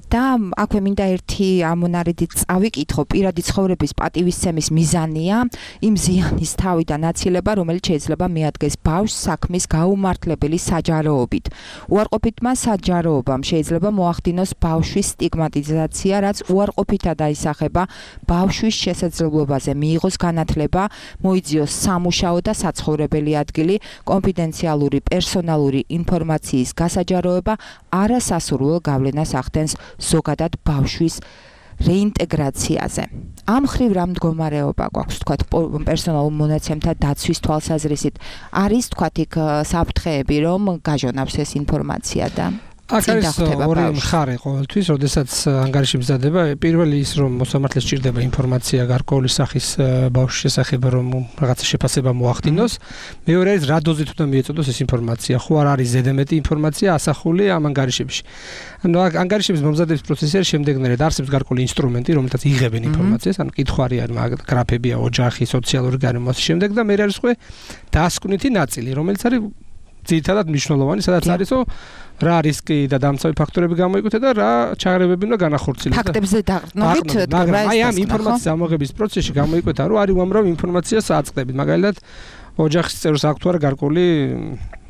S5: და აქვე მინდა ერთი ამონარიდი წავიკითხო. პირადი ცხოვრების პატივისცემის მიზანია იმ ზიანის თავიდან აცილება, რომელიც შეიძლება მიადგეს ბავშვს საქმის გაუმართლებელი საჯაროობით. უარყოფითმა საჯაროობამ შეიძლება მოახდინოს ბავშვის სტიგმატიზაცია, რაც უარყოფითად აისახება ბავშვის შესაძლებლობაზე მიიღოს განათლება, მოიძიოს სამუშაო და საცხოვრებელი ადგილი, კონფიდენციალური პერსონალური ინფორმაციის გასაჯაროება არასასურველ გავლენას ახდენს ზოგადად ბავშვის რეინტეგრაციაზე. ამ ხრივ რა მდგომარეობა გვაქვს, თქვათ, პერსონალურ მონაცემთა დაცვის თვალსაზრისით? არის, თქვათ, იქ საფრთხეები, რომ გაჟონავს ეს ინფორმაცია და
S11: აქ არის ორი მხარე ყოველთვის, როდესაც ანგარიში მზადდება. პირველი ის, რომ მოსამართლეს სჭირდება ინფორმაცია გარკვეული სახის ბავშვის შესახებ, რომ რაღაცა შეფასება მოახდინოს. მეორე არის, რა დოზით უნდა მიეწოდოს ეს ინფორმაცია. ხო არ არის ზედამეტი ინფორმაცია ასახული ამ ანგარიშებში. ანუ ანგარიშების მომზადების პროცესი არის შემდეგნაირად. არსებობს გარკვეული ინსტრუმენტი, რომელთაც იღებენ ინფორმაციას, ანუ კითხვარი არის, გრაფებია, ოჯახი, სოციალური გარემო ასე შემდეგ და მე არის უკვე დასკვნითი ნაწილი, რომელიც არის ძირითადად მნიშვნელოვანი, სადაც არისო რა რისკი და დამცავი ფაქტორები გამოიკვეთა და რა ჩაღრებები უნდა განახორციელოს.
S5: ფაქტებზე დაყრდნობით,
S11: მაგრამ აი ამ ინფორმაციის ამოღების პროცესში გამოიკვეთა, რომ არის უამრავი ინფორმაციას აწყდებით. მაგალითად, ოჯახის წევრს აქვს თუ არა გარკვეული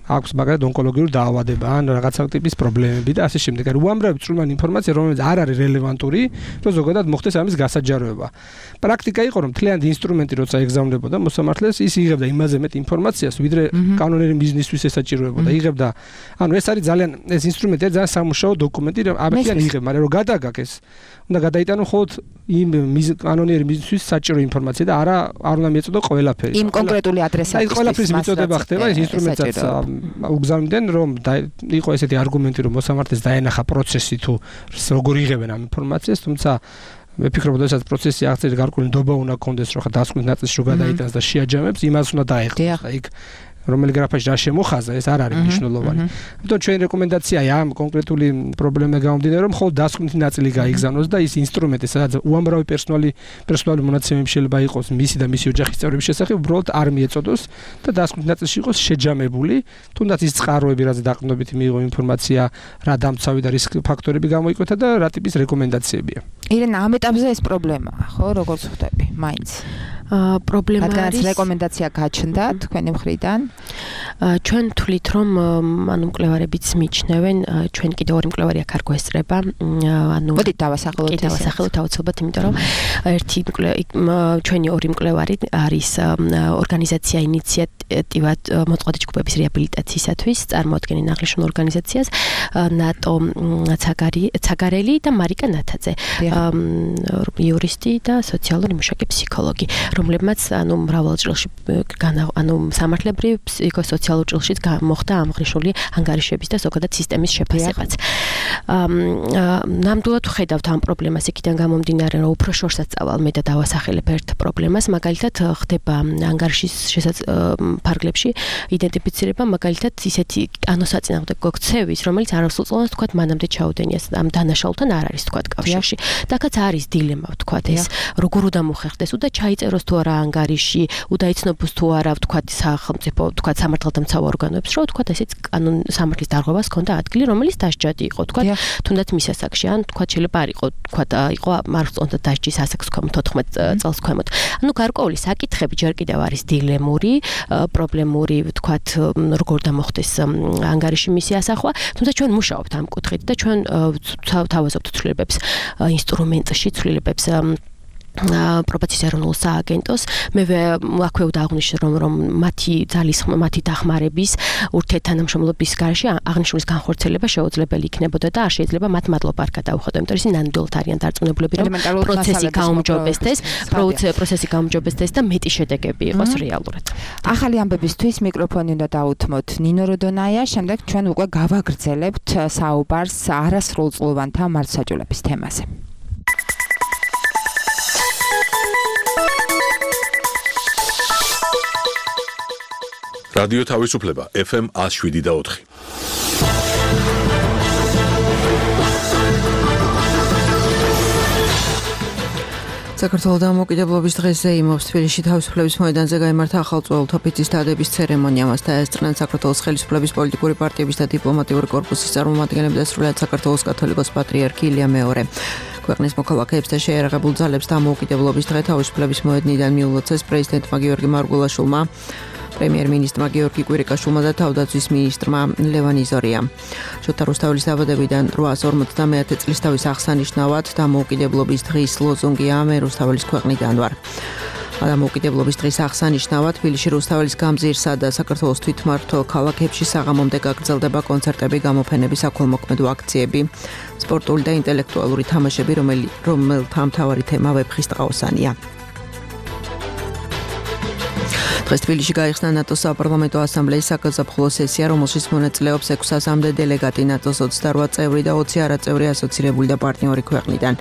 S11: აქვს მაგალითად ონკოლოგიური დაავადება ან რაღაცა ტიპის პრობლემები და ასე შემდეგ. არის უამრავი წვრილმანი ინფორმაცია, რომელიც არ არის რელევანტური, რომ ზოგადად მოხდეს ამის გასაჯაროება. პრაქტიკა იყო, რომ მთლიანი ინსტრუმენტი როცა ეგზავნებოდა მოსამართლეს, ის იღებდა იმაზე მეტ ინფორმაციას, ვიდრე კანონიერი მიზნისთვის ესაჭიროებოდა. იღებდა, ანუ ეს არის ძალიან ეს ინსტრუმენტი არის ძალიან სამუშაო დოკუმენტი, რომ აბეთიან იღებ, მაგრამ რომ გადაგაკეს, უნდა გადაიტანო მხოლოდ იმ კანონიერი მიზნისთვის საჭირო ინფორმაცია და არ უნდა მიეწოდო ყველაფერი.
S5: იმ კონკრეტული ადრესატის.
S11: აი ყველაფრის მიწოდება ხდება ეს ინსტრუმენტსაც უგზავნიდან, რომ იყო ესეთი არგუმენტი, რომ მოსამართლეს დაენახა პროცესი თუ როგორ იღებენ ამ ინფორმაციას, თუმცა მე ფიქრობ, რომ ეს პროცესი აღწერილი გარკვეული ნდობა უნდა კონდეს, რომ ხა დასკვნის ნაწილში რო გადაიტანს და შეაჯამებს, იმას უნდა დაეხოს. აი რომელი გრაფაში რა შემოხაზა, ეს არ არის მნიშვნელოვანი. ამიტომ ჩვენი რეკომენდაციაა ამ კონკრეტული პრობლემის გამომდინარე, რომ მხოლოდ დასკვნითი ნაწილი გაიგზავნოს და ის ინსტრუმენტი, სადაც უამრავი პერსონალური მონაცემები შეიძლება იყოს მისი და მისი ოჯახის წევრების შესახებ, უბრალოდ არ მიეწოდოს და დასკვნითი ნაწილში იყოს შეჯამებული, თუნდაც ის წყაროები, რაც დაყრდნობით მიიღო ინფორმაცია, რა დამცავი და რისკ ფაქტორები გამოიკვეთა და რა ტიპის რეკომენდაციებია.
S5: ირენა, ამ ეტაპზე ეს პრობლემაა, ხო, როგორც ხვდები, მაინც.
S10: პრობლემა
S5: არის რეკომენდაცია გაჩნდა თქვენი მხრიდან.
S10: ჩვენ თვლით, რომ ანუ მკვლევარებიც მიჩნევენ, ჩვენ კიდევ ორი მკვლევარი აქ არ გვესწრება, ანუ
S5: მოდით დავასახელოთ
S10: ეს. დავასახელოთ აუცილებლად, იმიტომ რომ ერთი ჩვენი ორი მკვლევარი არის ორგანიზაცია ინიციატივად მოწყობილი ჯგუფების რეაბილიტაციისათვის, წარმოადგენენ აღნიშნულ ორგანიზაციას, ნატო ცაგარელი და მარიკა ნათაძე, იურისტი და სოციალური მუშაკი ფსიქოლოგი, რომლებმაც ანუ მრავალ წელში ანუ სამართლებრივ ფსიქოსოციალურ ჭრილშიც მოხდა აღნიშნული ანგარიშების და ზოგადად სისტემის შეფასებაც. ნამდვილად ვხედავთ ამ პრობლემას იქიდან გამომდინარე, რომ უფრო შორსაც წავალ მე და დავასახელებ ერთ პრობლემას, მაგალითად ხდება ანგარიშის ფარგლებში იდენტიფიცირება მაგალითად ისეთი ანოსაწინააღმდეგო ქცევის, რომელიც არასრულწლოვანს თქვათ მანამდე ჩაუდენია ამ დანაშაულთან არ არის თქვათ კავშირში. დაკაც არის დილემა თქვათ ეს როგორ უნდა მოხერხდეს, უნდა ჩაიწეროს თუ არა ანგარიში, უნდა იცნობს თუ არა თქვათ სახელმწიფო თქვათ სამართალდამცავ ორგანოებს, რომ თქვათ ესეც კანონ სამართლის დარღვევას ჰქონდა ადგილი, რომელიც დასჯადი იყო თქვათ თუნდაც მის ასაკში, ან თქვათ შეიძლება არ იყო თქვათ იყო მარცხონდა დასჯის ასაკს ქვემოთ 14 წელს ქვემოთ. ანუ გარკვეული საკითხები ჯერ კიდევ არის დილემური, პრობლემური თქვათ როგორ დამოხდეს ანგარიში მისი ასახვა, თუმცა ჩვენ მუშაობთ ამ კუთხით და ჩვენ თავაზობთ ცვლილებებს ინსტრუმენტში, ცვლილებებს პრობაციის ეროვნულ სააგენტოს მე აქვე დააღნიშნე რომ მათი დახმარების ურთიერთთანამშრომლობის გარეშე აღნიშნულის განხორციელება შეუძლებელი იქნებოდა და არ შეიძლება მათ მადლობა არ გადაუხადო იმიტომ რომ ნამდვილად არიან დარწმუნებული რომ პროცესი გაუმჯობესდეს და მეტი შედეგები იყოს რეალურად
S5: ახალი ამბებისთვის მიკროფონი უნდა დაუთმოთ ნინო როდონაია შემდეგ ჩვენ უკვე გავაგრძელებთ საუბარს არასრულწლოვანთა მართლმსაჯულების თემაზე
S1: რადიო თავისუფლება FM 107.4
S2: საქართველოს დამოუკიდებლობის დღეზე იმობს თბილისში თავისუფლების მოედანზე გაიმართა ახალწლოვანთა ფიცის დადების ცერემონია. მას დაესწრნენ საქართველოს ხელისუფლების პოლიტიკური პარტიების და დიპლომატიური კორპუსის წარმომადგენლები და სრულად საქართველოს კათოლიკოს პატრიარქი ილია მეორე. ქვეყნის მოქალაქეებს და შეიარაღებულ ძალებს დამოუკიდებლობის დღე თავისუფლების მოედნიდან მიულოცეს პრეზიდენტმა გიორგი მარგულაშვილმა, პრემიერ-მინისტრმა გიორგი კვირიკაშვილმა და თავდაცვის მინისტრმა ლევან იზორიამ. შოთა რუსთაველის დაბადებიდან 859 წლის თავის აღსანიშნავად დამოუკიდებლობის დღის ლოზუნგია მე რუსთაველის ქვეყნიდან ვარ. დამოუკიდებლობის დღის აღსანიშნავად თბილისში რუსთაველის გამზირსა და საქართველოს თვითმმართველ ქალაქებში საღამომდე გაგრძელდება კონცერტები, გამოფენები, საქველმოქმედო აქციები, სპორტული და ინტელექტუალური თამაშები, რომელთა მთავარი თემა ვეფხის ტყაოსანია. დღეს თბილისში გაიხსნა ნატოს საპარლამენტო ასამბლეის საგაზაფხულო სესია, რომელშიც მონაწილეობს 600-მდე დელეგატი ნატოს 28 წევრი და 20 არაწევრი ასოცირებული და პარტნიორი ქვეყნიდან.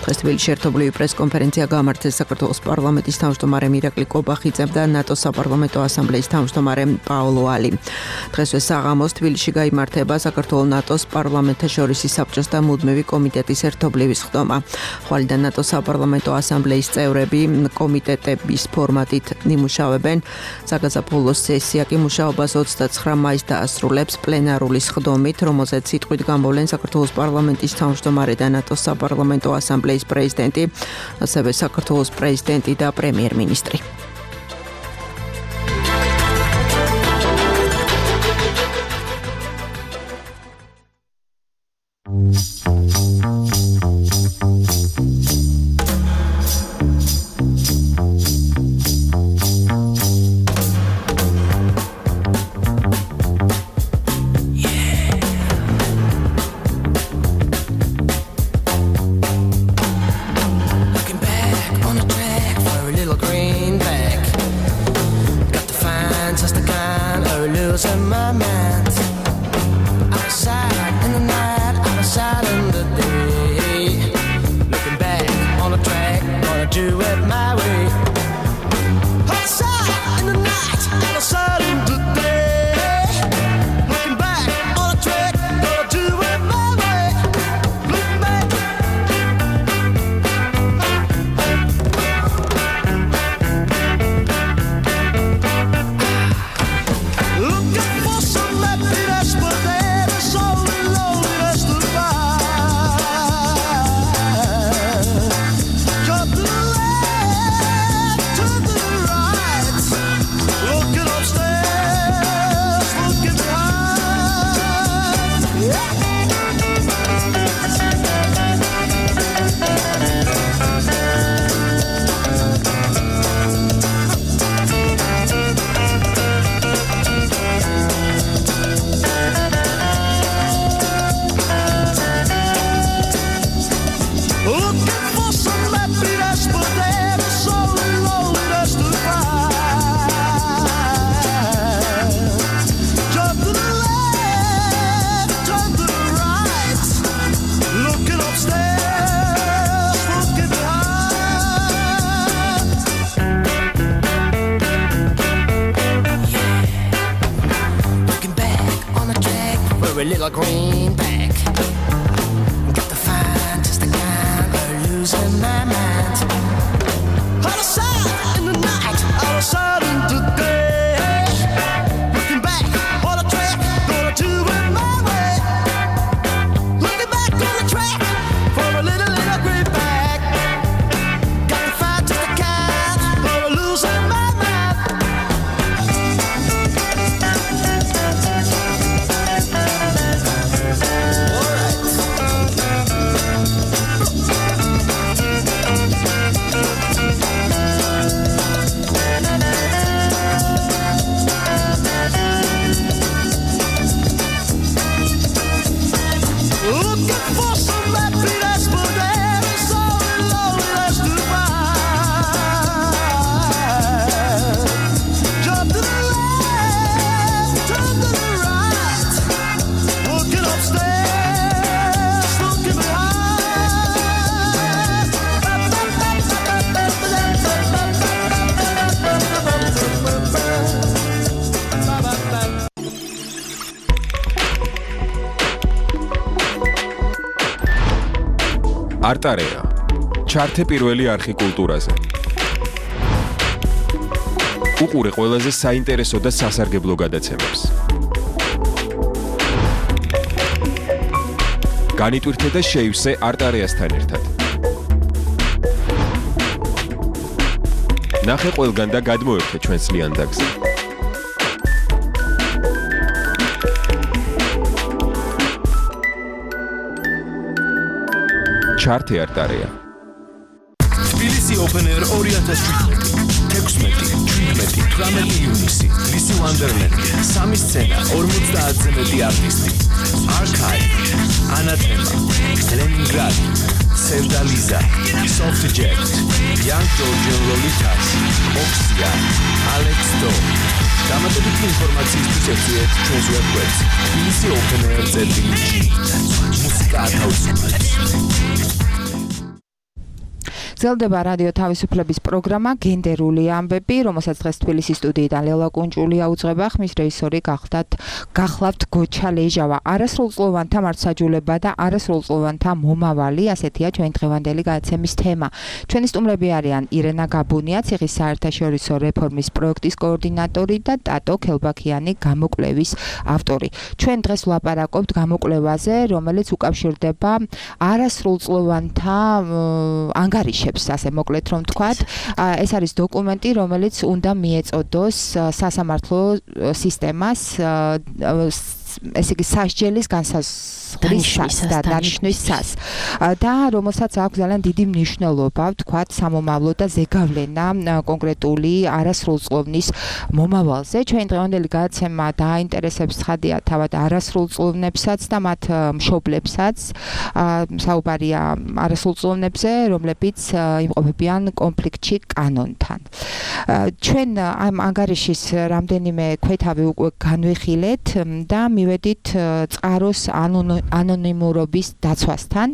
S2: დღეს თბილისში ერთობლივი პრესკონფერენცია გამართეს საქართველოს პარლამენტის თავმჯდომარე მირაკლი კობახიძემ და ნატოს საპარლამენტო ასამბლეის თავმჯდომარე პაოლო ალი. დღესვე საღამოს თბილისში გაიმართება საქართველოს ნატოს პარლამენტთაშორისი საბჭოს და მუდმივი კომიტეტის ერთობლივი სხდომა. ხვალიდან ნატოს საპარლამენტო ასამბლეის წევრები კომიტეტების ფორმატით იმუშავებენ. საგაზაფხულო სესია კი მუშაობას 29 მაისს დაასრულებს პლენარული სხდომით, რომელზეც სიტყვით გამოვლენ საქართველოს პარლამენტის თავმჯდომარე და ნატოს საპარლამენტო ასამბლეის პრეზიდენტი, ასევე საქართველოს პრეზიდენტი და პრემიერ-მინისტრი.
S6: A little greenback. Got the fantastic kind of losing my mind. Out of sight in the night, out of sight in the day. Looking back on the track, gonna do it my way. Looking back on the track for a little greenback. Got the fantastic kind of losing my mind.
S8: არტარეა. ჩართე პირველი არხი კულტურაზე. უყურე ყველაზე საინტერესო და სასარგებლო გადაცემებს. განიტვირთე და შეივსე არტარეასთან ერთად. ნახე ყველგან და გადმოერთე ჩვენს ლიანდაგზე. ჩართე არტარეა.
S9: თბილისი Open Air 2017. 16-17 ივნისი. ლისი ვანდერლენდი. 3 სცენა, 50-ზე მეტი არტისტი. Archive, Anathema, Leningrad, Sevdaliza, Soft Jet, Young Georgian Lolitas, Oxia, Alex Do. დამატებითი ინფორმაციისთვის ეწვიეთ ჩვენს ვებგვერდს tbilisi.openair.gr. მუსიკა ათავისუფლებს.
S5: გრძელდება რადიო თავისუფლების პროგრამა გენდერული ამბები, რომელსაც დღეს თბილისის სტუდიიდან ლელა კუნჭულია უძღვება, ხმის რეჟისორი გახლავთ გოჩა ლეჟავა. არასრულწლოვანთა მართლმსაჯულება და არასრულწლოვანთა მომავალი, ასეთია ჩვენი დღევანდელი გადაცემის თემა. ჩვენი სტუმრები არიან ირენა გაბუნია, ციხის საერთაშორისო რეფორმის პროექტის კოორდინატორი და ტატო ქელბაქიანი, გამოკვლევის ავტორი. ჩვენ დღეს ვლაპარაკობთ გამოკვლევაზე, რომელიც უკავშირდება არასრულწლოვანთა ანგარიშებს, ასე მოკლედ რომ ვთქვათ. ეს არის დოკუმენტი, რომელიც უნდა მიეწოდოს სასამართლო სისტემას, ესე იგი სასჯელის განსაზღვრის და დანიშნვისას და რომელსაც აქვს ძალიან დიდი მნიშვნელობა, ვთქვათ, სამომავლო და ზეგავლენა კონკრეტული არასრულწლოვნის მომავალზე. ჩვენი დღევანდელი გადაცემა დააინტერესებს ცხადია თავად არასრულწლოვნებსაც და მათ მშობლებსაც. საუბარია არასრულწლოვნებზე, რომლებიც იმყოფებიან კონფლიქტში კანონთან. ჩვენ ამ ანგარიშის რამდენიმე ქვეთავი უკვე განვიხილეთ და მივედით წყაროს ანონიმურობის დაცვასთან,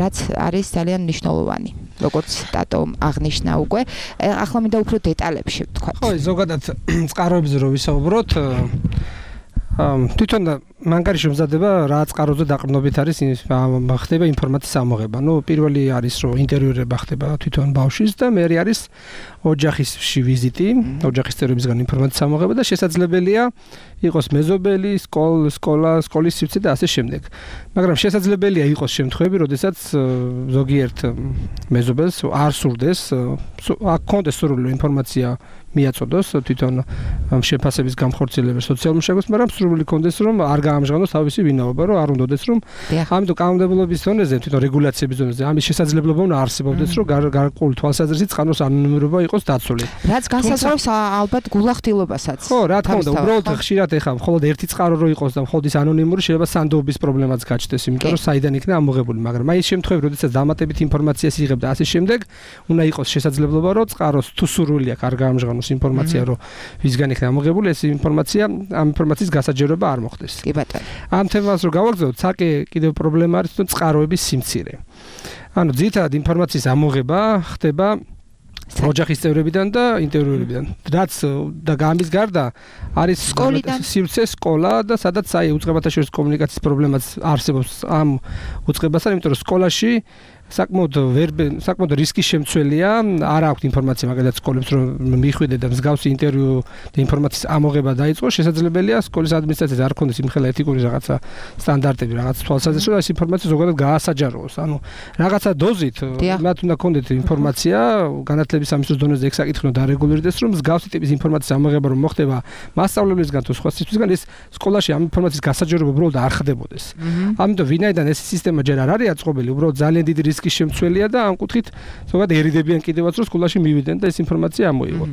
S5: რაც არის ძალიან მნიშვნელოვანი, როგორც ტატომ აღნიშნა უკვე. ახლა მინდა უფრო დეტალებში ვთქვათ.
S11: ხო, ზოგადად წყაროებზე რო ვისაუბროთ, თვითონ ანგარიში მომზადება რა წყაროზე დაყრდნობით არის ხდება ინფორმაციის ამოღება. პირველი არის რომ ინტერვიურება ხდება თვითონ ბავშვის და მერე არის ოჯახისში ვიზიტი, ოჯახის წევრებისგან ინფორმაციის ამოღება და შესაძლებელია იყოს მეზობელი, სკოლის სივრცე და ასე შემდეგ. მაგრამ შესაძლებელია იყოს შემთხვევები, როდესაც ზოგიერთ მეზობელს არ სურდეს, აქ კონდეს სრული ინფორმაცია მიაწოდოს თვითონ შეფასების გამხორციელებას სოციალურ მუშაკებს, მაგრამ სრული კონდეს რომ არ გაამჟღავნოს თავისი ვინაობა, რომ არ უნდადეს რომ ამიტომ კანონმდებლობის ზონაზე, თვითონ რეგულაციების ზონაზე ამის შესაძლებლობა უნდა არსებობდეს, რომ გარკვეული თვალსაზრისით წყაროს ანონიმურობა იყოს დაცული.
S5: რაც განსაზღვრავს ალბათ გულახდილობასაც.
S11: ხო, რა თქმა უნდა, უბრალოდ ხშირად ეხლა მხოლოდ ერთი წყარო რო იყოს და მხოლოდ ის ანონიმური შეიძლება სანდოობის პრობლემაც გაჩნდეს, იმიტომ რომ საიდან იქნა ამოღებული, მაგრამ აი ეს შემთხვევები, როდესაც დამატებით ინფორმაციას იღებ და ასე შემდეგ, უნდა იყოს შესაძლებლობა, რომ წყაროს თუ სურვილი აქვს არ გაამჟღავნოს ინფორმაცია, რომ ვისგან იქნა ამოღებული, ეს ინფორმაცია, ამ ინფორმაციის გასაჯეროება არ მოხდეს.
S5: კი ბატონო.
S11: ამ თემას რო გავაგზავნოთ, ცალკე კიდევ პრობლემა არის თვითონ წყაროების სიმცირე. ანუ ძირითადად ინფორმაციის ამოღება ხდება ოჯახის წევრებიდან და ინტერვიურებიდან. რაც და ამის გარდა არის სივრცე, სკოლა და სადაც აი უწყებათა შორის კომუნიკაციის პრობლემაც არსებობს ამ უწყებასთან, იმიტომ რომ სკოლაში საკმაოდ რისკის შემცველია, არ აქვს ინფორმაცია მაგალითად სკოლებს რომ მიხვიდე და მსგავსი ინტერვიუ და ინფორმაციის ამოღება დაიწყო, შესაძლებელია სკოლის ადმინისტრაციას არ ქონდეს იმხელა ეთიკური რაღაცა სტანდარტები, რაღაც თვალსაზრისით, რომ ეს ინფორმაცია ზოგადად გაასაჯაროოს. ანუ რაღაცა დოზით მათ უნდა ქონდეთ ინფორმაცია, განათლების სამისლის დონეზე ეგ საკითხი უნდა დარეგულირდეს, რომ მსგავსი ტიპის ინფორმაციის ამოღება რომ მოხდება მასწავლებლისგან თუ სხვა სიტყვისგან, ეს სკოლაში ამ ინფორმაციის გასაჯაროება უბრალოდ არ ხდებოდეს. ამიტომ ვინაიდან ეს სისტემა ჯერ არ არის აწყობილი, უბრალოდ ძალიან დიდი რისკის შემცველია და ამ კუთხით ზოგადად ერიდებიან კიდევაც რომ სკოლაში მივიდნენ და ეს ინფორმაცია ამოიღონ.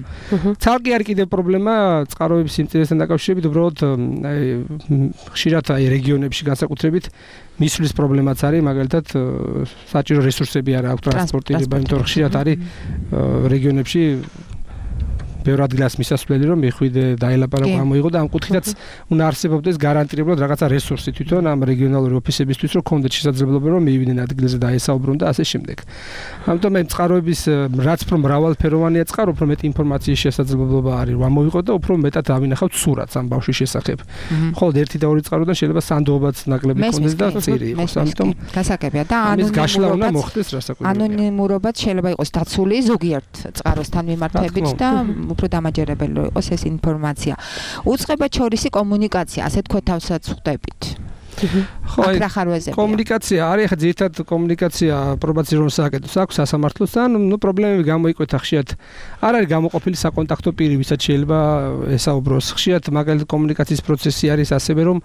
S11: ცალკე არის კიდევ პრობლემა წყაროების სიმწირესთან დაკავშირებით, უბრალოდ ხშირად აი რეგიონებში განსაკუთრებით მისვლის პრობლემაც არის, მაგალითად საჭირო რესურსები არ აქვს ტრანსპორტირება, იმიტომ რომ ხშირად არის რეგიონებში ბევრ ადგილას მისასვლელი რომ მიხვიდე დაელაპარაკო ამოიღო და ამ კუთხითაც უნდა არსებობდეს გარანტირებლად რაღაცა რესურსი თვითონ ამ რეგიონალური ოფისებისთვის რომ კონდეთ შესაძლებლობა რომ მიივიდნენ ადგილზე და ესაუბრონ და ასე შემდეგ. ამიტომ მე წყაროების რაც უფრო მრავალფეროვანია წყარო, უფრო მეტი ინფორმაციის შესაძლებლობა არის რომ ამოიღო და უფრო მეტად ავინახავთ სურათს ამ ბავშვის შესახებ. ხოლო 1 და 2 წყაროდან შეიძლება სანდოობაც ნაკლები კონდეს და წირი იყოს. ამიტომ
S5: გასაგებია და ანონიმურობაც შეიძლება იყოს დაცული ზოგიერთ წყაროსთან მიმართებით და უფრო დამაჯერებელი იყოს ეს ინფორმაცია. უწყება შორისი კომუნიკაცია, ასე თქვა თავსაც ხვდებით.
S11: კომუნიკაცია არის ახლა ძირითადად კომუნიკაცია პრობაციულ საკითხს აქვს სასამართლოსთან, პრობლემები გამოიკვეთა ხშირად. არ არის გამოყოფილი საკონტაქტო პირი, ვისაც შეიძლება ესაუბროს. ხშირად მაგალითად კომუნიკაციის პროცესი არის ასევე რომ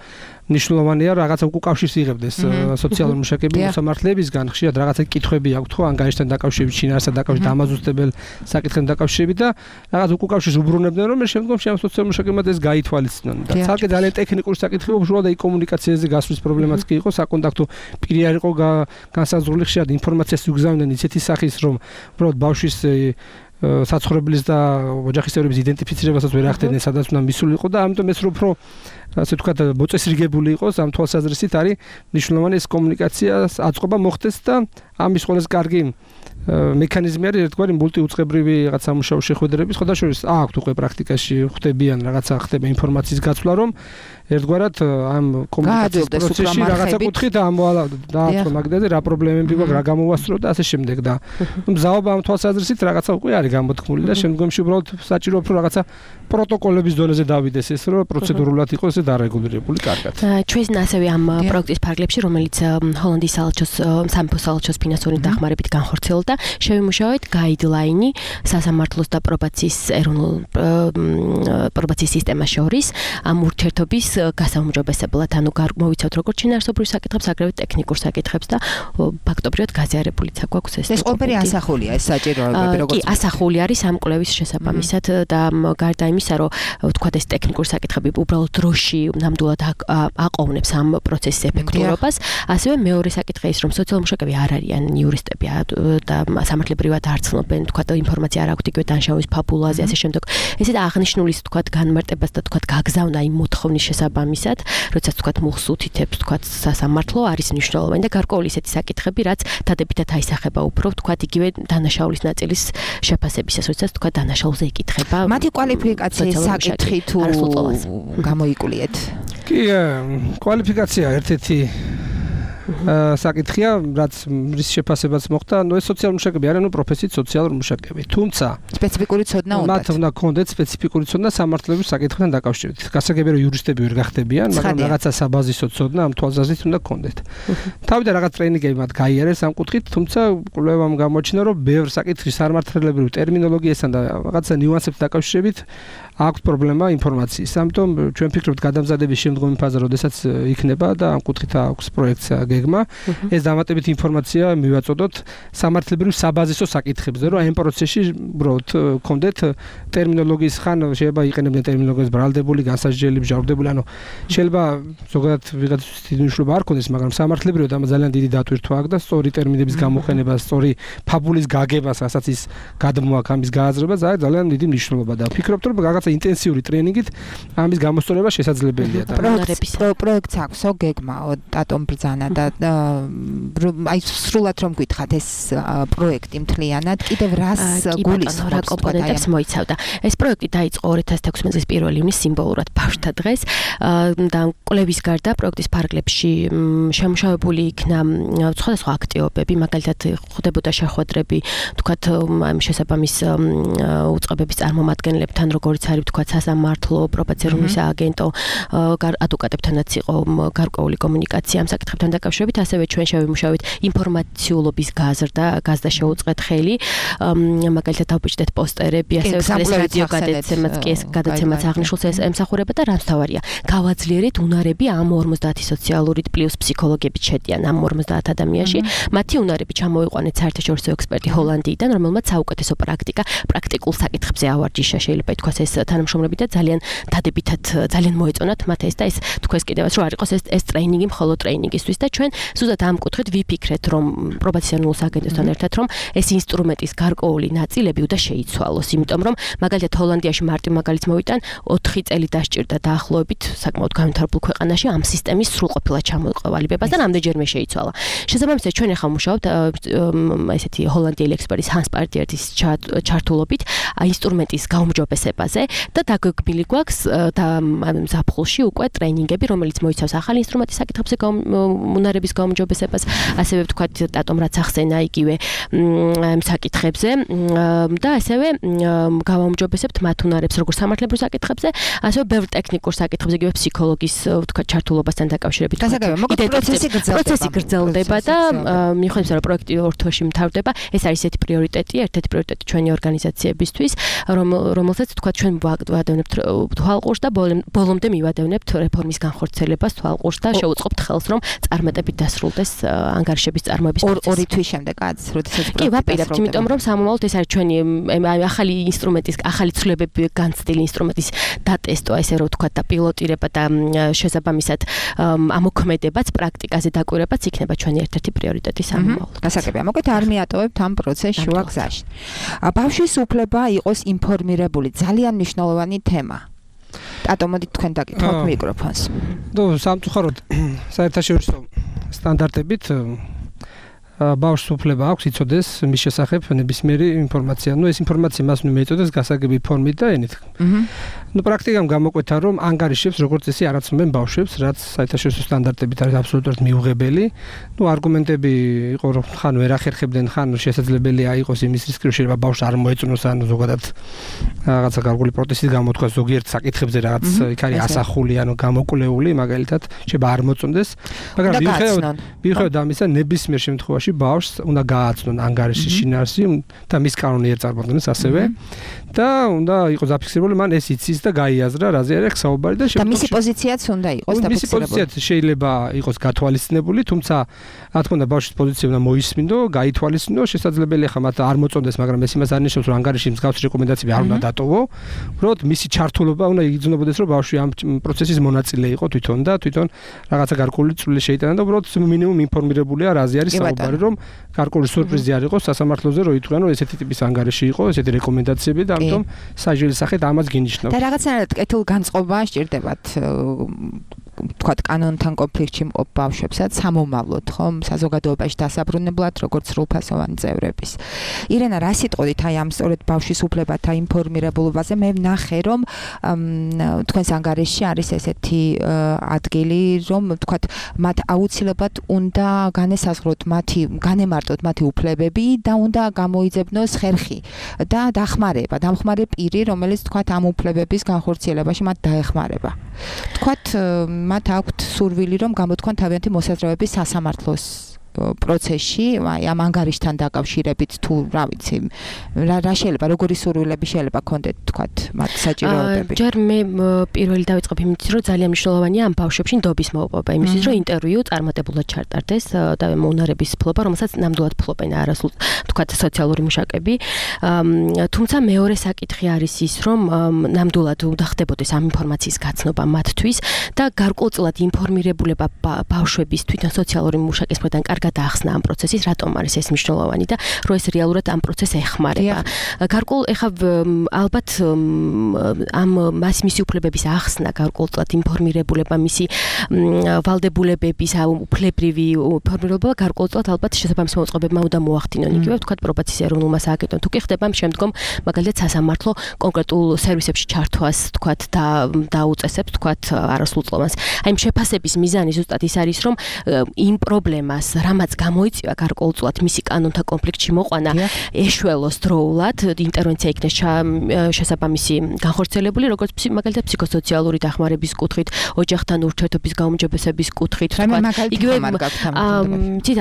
S11: ნიშნულოვანია რაღაცა უკავშირს იღებდეს სოციალური მუშაკები მოსამართლებისგან, ხშირად რაღაცა კითხვები აქვთ ხო ანგარიშთან დაკავშირებით, შინაარსთან დაკავშირებით, დამაზუსტებელ საკითხთან დაკავშირებით და რაღაც უკავშირს უბრუნებდნენ რომ შემდგომში ამ სოციალურ მუშაკებმა ეს გაითვალისწინონ. და ცალკე ძალიან ტექნიკური საკითხი უშუალოდ აი კომუნიკაციაზე გასვლის პრობლემაც კი იყო, საკონტაქტო პირი არ იყო განსაზღვრული, ხშირად ინფორმაციას უგზავნდნენ ისეთი სახის რომ უბრალოდ ბავშვის საცხოვრებლის და ოჯახის წევრების იდენტიფიცირებასაც ვერ ახდენენ, სადაც უნდა მისულიყო და ამიტომ ეს უფრო ასე ვთქვათ, მოწესრიგებული იყოს ამ თვალსაზრისით არის მნიშვნელოვანი ეს კომუნიკაციას აწყობა მოხდეს და ამის ყველაზე კარგი მექანიზმი არის ერთგვარი მულტიუწყებრივი რაღაც სამუშაო შეხვედრების, ხოდა შორის აქვთ უკვე პრაქტიკაში ხვდებიან რაღაცა ხდება ინფორმაციის გაცვლა, რომ ერთგვარად ამ კომუნიკაციის პროცესში რაღაცა კუთხით დააწყო მაგდაზე რა პრობლემები გვაქვს, რა გამოვასწრო და ასე შემდეგ და მზაობა ამ თვალსაზრისით რაღაცა უკვე არის გამოთქმული და შემდგომში უბრალოდ საჭირო უფრო რაღაცა პროტოკოლების დონეზე დავიდეს ეს, რომ პროცედურულად იყოს ეს დარეგულირებული კარგად.
S10: ჩვენ ასევე ამ პროექტის ფარგლებში, რომელიც ჰოლანდიის სამეფო საელჩოს ფინანსური დახმარებით განხორციელდა, შევიმუშავეთ გაიდლაინი სასამართლოს და პრობაციის ეროვნულ პრობაციის სისტემას შორის ამ ურთიერთობის გასაუმჯობესებლად, ანუ მოვიცავთ როგორც შინაარსობრივ საკითხებს, აგრეთვე ტექნიკურ საკითხებს და ფაქტობრივად გაზიარებულიც აქვს ეს.
S5: ეს ყველაფერი ასახულია ეს საჭიროებები როგორც.
S10: კი, ასახული არის ამ კვლევის შესაბამისად და გარდა იმისა, რომ ვთქვათ ეს ტექნიკური საკითხები უბრალოდ დროში ნამდვილად აყოვნებს ამ პროცესის ეფექტურობას, ასევე მეორე საკითხი ის, რომ სოციალურ მუშაკები არ არიან იურისტები და სამართლებრივად არ ცნობენ, ვთქვათ ინფორმაცია არ აქვთ იგივე დანაშაულის ფაბულაზე, ასე შემდეგ. ესეთ აღნიშნულის ვთქვათ განმარტებას და ვთქვათ გაგზავნა იმ მოთხოვნის შესაბამისად, როდესაც ვთქვათ მუხლს უთითებს ვთქვათ სასამართლო არის მნიშვნელოვანი და გარკვეული ისეთი საკითხები, რაც დადებითად აისახება უფრო ვთქვათ იგივე დანაშაულის ნაწილის შეფასებისას, როდესაც ვთქვათ დანაშაულზე იკითხება.
S5: მათი კვალიფიკაციის საკითხი თუ გამოიკულიეთ?
S11: კი, კვალიფიკაცია ერთ-ერთი საკითხია, რაც რის შეფასებაც მოხდა, ეს სოციალური მუშაკები არიან, პროფესიით სოციალური მუშაკები. თუმცა
S5: სპეციფიკური ცოდნა უნდათ.
S11: მათ უნდა ჰქონდეთ სპეციფიკური ცოდნა სამართლების საკითხთან დაკავშირებით. გასაგებია, რომ იურისტები ვერ გახდებიან, მაგრამ რაღაცა საბაზისო ცოდნა ამ თვალსაზრისით უნდა ჰქონდეთ. თავიდან რაღაც ტრეინინგები მათ გაიარეს ამ კუთხით, თუმცა კვლევამ გამოჩნდა, რომ ბევრ საკითხის სამართლებრივ ტერმინოლოგიასთან და რაღაცა ნიუანსებთან დაკავშირებით აქვს პრობლემა ინფორმაციის. ამიტომ ჩვენ ვფიქრობთ გადამზადების შემდგომი ფაზა, როდესაც იქნება და ამ კუთხით აქვს პროექტია გეგმა, ეს დამატებითი ინფორმაცია მივაწოდოთ სამართლებრივ საბაზისო საკითხებზე, რომ ამ პროცესში უბრალოდ გქონდეთ ტერმინოლოგიის ხან შეიძლება იყენებდნენ ტერმინოლოგიას ბრალდებული, განსაჯელი, მჟავრდებული, ანუ შეიძლება ზოგადად ვიღაცის დიდი მნიშვნელობა არ ქონდეს, მაგრამ სამართლებრივად ამ ძალიან დიდი დატვირთვა აქვს და სწორი ტერმინების გამოყენება, სწორი ფაბულის გაგება, რასაც ის გადმოაქვს ამის გააზრება, ძალიან დიდი მნიშვნელობა და ვფიქრობთ, რომ რაღაცა ინტენსიური ტრეინინგით ამის გამოსწორება შესაძლებელია და
S5: პროექტს აქვს გეგმაო დატომ ბრძანა და აი სრულად რომ გითხათ ეს პროექტი მთლიანად კიდევ რას გულისხმობს
S10: რა კომპონენტებს მოიცავდა. ეს პროექტი დაიწყო 2016 წლის 1 ივნის სიმბოლურად ბავშვთა დღეს და კვლევის გარდა პროექტის ფარგლებში შემუშავებული იქნა სხვადასხვა აქტივობები, მაგალითად ხდებოდა შეხვედრები, თქვათ ამ შესაბამის უწყებების წარმომადგენლებთან, როგორც არის ვთქვათ სასამართლო, პრობაციული სააგენტო, ადვოკატებთანაც იყო გარკვეული კომუნიკაცია ამ საკითხებთან დაკავშირებით, ასევე ჩვენ შევიმუშავეთ ინფორმაციულობის გაზრდა შეუწყეთ ხელი, მაგალითად დავბიჭდეთ პოსტერები, ასევე ეს რადიო გადაცემაც კი ეს გადაცემაც აღნიშნულს ეს ემსახურება და რაც თავარია, გავაძლიერეთ უნარები ამ 50 სოციალური პლუს ფსიქოლოგები შედიან ამ 50 ადამიანში, მათი უნარები ჩამოიყვანეთ საერთაშორისო ექსპერტი ჰოლანდიიდან, რომელმაც საუკეთესო პრაქტიკულ საკითხებზე ავარჯიშა, შეიძლება ითქვას ეს თანამშრომლები და ძალიან დადებითად ძალიან მოეწონათ მათ ეს და ეს თქვენს კიდევაც რომ არ იყოს ეს ტრეინინგი მხოლოდ ტრეინინგისთვის და ჩვენ ჩვენ ზუსტად ამ კუთხით ვიფიქრეთ, რომ პრობაციონულ საგენოსთან ერთად, რომ ეს ინსტრუმენტის გარკვეული ნაწილები უნდა შეიცვალოს, იმიტომ რომ მაგალითად ჰოლანდიაში მარტივ მაგალითს მოვიტან 4 წელი დასჭირდა დაახლოებით საკმაოდ განვითარებულ ქვეყანაში ამ სისტემის სრულყოფილად ჩამოყალიბებას და რამდენჯერმე შეიცვალა. შესაბამისად ჩვენ ახლა მუშაობთ ესეთი ჰოლანდიელი ექსპერტის ჰანს პარტიერის ჩართულობით ინსტრუმენტის გაუმჯობესებაზე და დაგეგმილი გვაქვს და ზაფხულში უკვე ტრეინინგები, რომელიც მოიცავს ახალი ინსტრუმენტის საკითხებზე უნარების გაუმჯობესებას, ასევე ვთქვათ დატომ რაც ახსენა იგივე საკითხებზე და ასევე გავაუმჯობესებთ მათ უნარებს როგორც სამართლებრივ საკითხებზე, ასევე ბევრ ტექნიკურ საკითხებზე, იგივე ფსიქოლოგის ვთქვათ ჩართულობასთან დაკავშირებით. პროცესი გრძელდება და მიუხედავად რომ პროექტი 2 თვეში მთავრდება, ეს არის ესეთი პრიორიტეტი, ერთ-ერთი პრიორიტეტი ჩვენი ორგანიზაციებისთვის, რომელსაც ვთქვათ ჩვენ ვადევნებთ თვალყურს და ბოლომდე მივადევნებთ რეფორმის განხორციელებას თვალყურს და შევუწყობთ ხელს, რომ წარმატებით დასრულდეს ანგარიშების წარმოების პროცესი. 2 თვის შემდეგ როდესაც კი ვაპირებთ, იმიტომ რომ სამომავლოდ ეს არის ჩვენი ახალი ინსტრუმენტის, ახალი ცვლილებები განცდილი ინსტრუმენტის დატესტვა, ესე რომ ვთქვათ და პილოტირება და შესაბამისად ამოქმედებაც, პრაქტიკაზე დაკვირვებაც იქნება ჩვენი ერთ-ერთი პრიორიტეტი სამომავლოდ.
S5: გასაგებია, მოკლედ არ მიატოვებთ ამ პროცესს შუა გზაში. ბავშვის უფლება იყოს ინფორმირებული, ძალიან მნიშვნელოვანი თემა. ატო მოდით თქვენ დაგითხოვთ მიკროფონს.
S11: სამწუხაროდ საერთაშორისო სტანდარტებით ბავშვს უფლება აქვს იცოდეს მის შესახებ ნებისმიერი ინფორმაცია. ეს ინფორმაცია მას უნდა მიეწოდეს გასაგები ფორმით და ენით. პრაქტიკამ გამოკვეთა, რომ ანგარიშებს როგორც წესი არ აცნობენ ბავშვებს, რაც საერთაშორისო სტანდარტებით არის აბსოლუტურად მიუღებელი. არგუმენტები იყო, რომ ხან ვერ ახერხებდნენ, ხან შესაძლებელია იყოს იმის რისკი, რომ შეიძლება ბავშვს არ მოეწონოს, ან ზოგადად რაღაცა გარკვეული პროტესტის გამოთქვა ზოგიერთ საკითხებზე, რაღაც იქ არის ასახული, ანუ გამოკვლეული, მაგალითად, შეიძლება არ მოწონდეს, მაგრამ მიუხედავად ამისა, ნებისმიერ შემთხვევაში ბავშვს უნდა გააცნონ ანგარიშის შინაარსი და მის კანონი აწარმოებდეს ასევე და უნდა იყოს დაფიქსირებული, მან ეს იცის და გაიაზრა, რაზე არის საუბარი და
S5: მისი პოზიციაც უნდა იყოს დაფიქსირებული.
S11: მისი პოზიციაც შეიძლება იყოს გათვალისწინებული, თუმცა რა თქმა უნდა ბავშვის პოზიცია უნდა მოისმინდო, გაითვალისწინო, შესაძლებელია ხა მათ არ მოწონდეს, მაგრამ ეს იმას არ ნიშნავს, რომ ანგარიში მსგავსი რეკომენდაციები არ უნდა დატოვო. უბრალოდ მისი ჩართულობა უნდა იგრძნობოდეს, რომ ბავშვი ამ პროცესის მონაწილე იყო თვითონ და თვითონ რაღაცა გარკვეული წვლილი შეიტანა და უბრალოდ მინიმუმ ინფორმირებულია, რაზე არის საუბარი, რომ გარკვეული სურპრიზი არ იყოს სასამართლოზე, რომ ითქვან, რომ ესეთი ტიპის ანგარიში იყო, ესეთი რეკომენდაციები და ამიტომ საჯელის სახით ამას გინიშნავთ.
S5: და რაღაცნაირად კეთილ განწყობა სჭირდებათ თქვათ კანონთან კონფლიქტში მყოფ ბავშვებსაც სამომავლოდ, ხომ, საზოგადოებაში დასაბრუნებლად, როგორც სრულფასოვანი წევრების. ირენა, რა სიტყვით აი ამ სწორედ ბავშვის უფლებათა ინფორმირებულობაზე მე ვნახე, რომ თქვენს ანგარიშში არის ესეთი ადგილი, რომ თქვათ მათ აუცილებლად უნდა განემარტოთ მათი უფლებები და უნდა გამოიძებნოს ხერხი და დამხმარე პირი, რომელიც თქვათ ამ უფლებების განხორციელებაში მათ დაეხმარება. თქვათ მათ აქვთ სურვილი, რომ გამოთქვან თავიანთი მოსაზრებები სასამართლოს პროცესში, აი ამ ანგარიშთან დაკავშირებით თუ რა ვიცი, რა შეიძლება, როგორი სურვილები შეიძლება ქონდეთ თქვათ მათ საჭიროებები.
S10: ჯერ მე პირველი დავიწყებ იმით, რომ ძალიან მნიშვნელოვანია ამ ბავშვებში ნდობის მოპოვება, იმისთვის, რომ ინტერვიუ წარმატებულად ჩატარდეს და უნარების ფლობა, რომელსაც ნამდვილად ფლობენ არასულ თქვათ სოციალური მუშაკები. თუმცა მეორე საკითხი არის ის, რომ ნამდვილად უნდა ხდებოდეს ამ ინფორმაციის გაცნობა მათთვის და გარკვეულწილად ინფორმირებულება ბავშვების თვითონ სოციალური მუშაკის მხრიდან გადაახსნა ამ პროცესის, რატომ არის ეს მნიშვნელოვანი და რომ ეს რეალურად ამ პროცესს ეხმარება. გარკვეულ ეხა ალბათ ამ მისი უფლებების ახსნა, გარკვეულწილად ინფორმირებულება, მისი ვალდებულებების უფლებრივი ინფორმირებულება გარკვეულწილად ალბათ შესაბამის მოწყობებმა უნდა მოახდინონ. იგივე ვთქვათ პრობაციის ეროვნულმა სააგენტომ თუ კი ხდება შემდგომ მაგალითად სასამართლო კონკრეტულ სერვისებში ჩართვას ვთქვათ და დაუწესებს ვთქვათ არასრულწლოვანს. აი ამ შეფასების მიზანი ზუსტად ის არის, რომ იმ პრობლემას რამაც გამოიწვია გარკვეულწილად მისი კანონთა კონფლიქტში მოყვანა ეშველოს დროულად, ინტერვენცია იქნეს შესაბამისი განხორციელებული, როგორც მაგალითად ფსიქოსოციალური დახმარების კუთხით, ოჯახთან ურთიერთობის გაუმჯობესების კუთხით, იგივე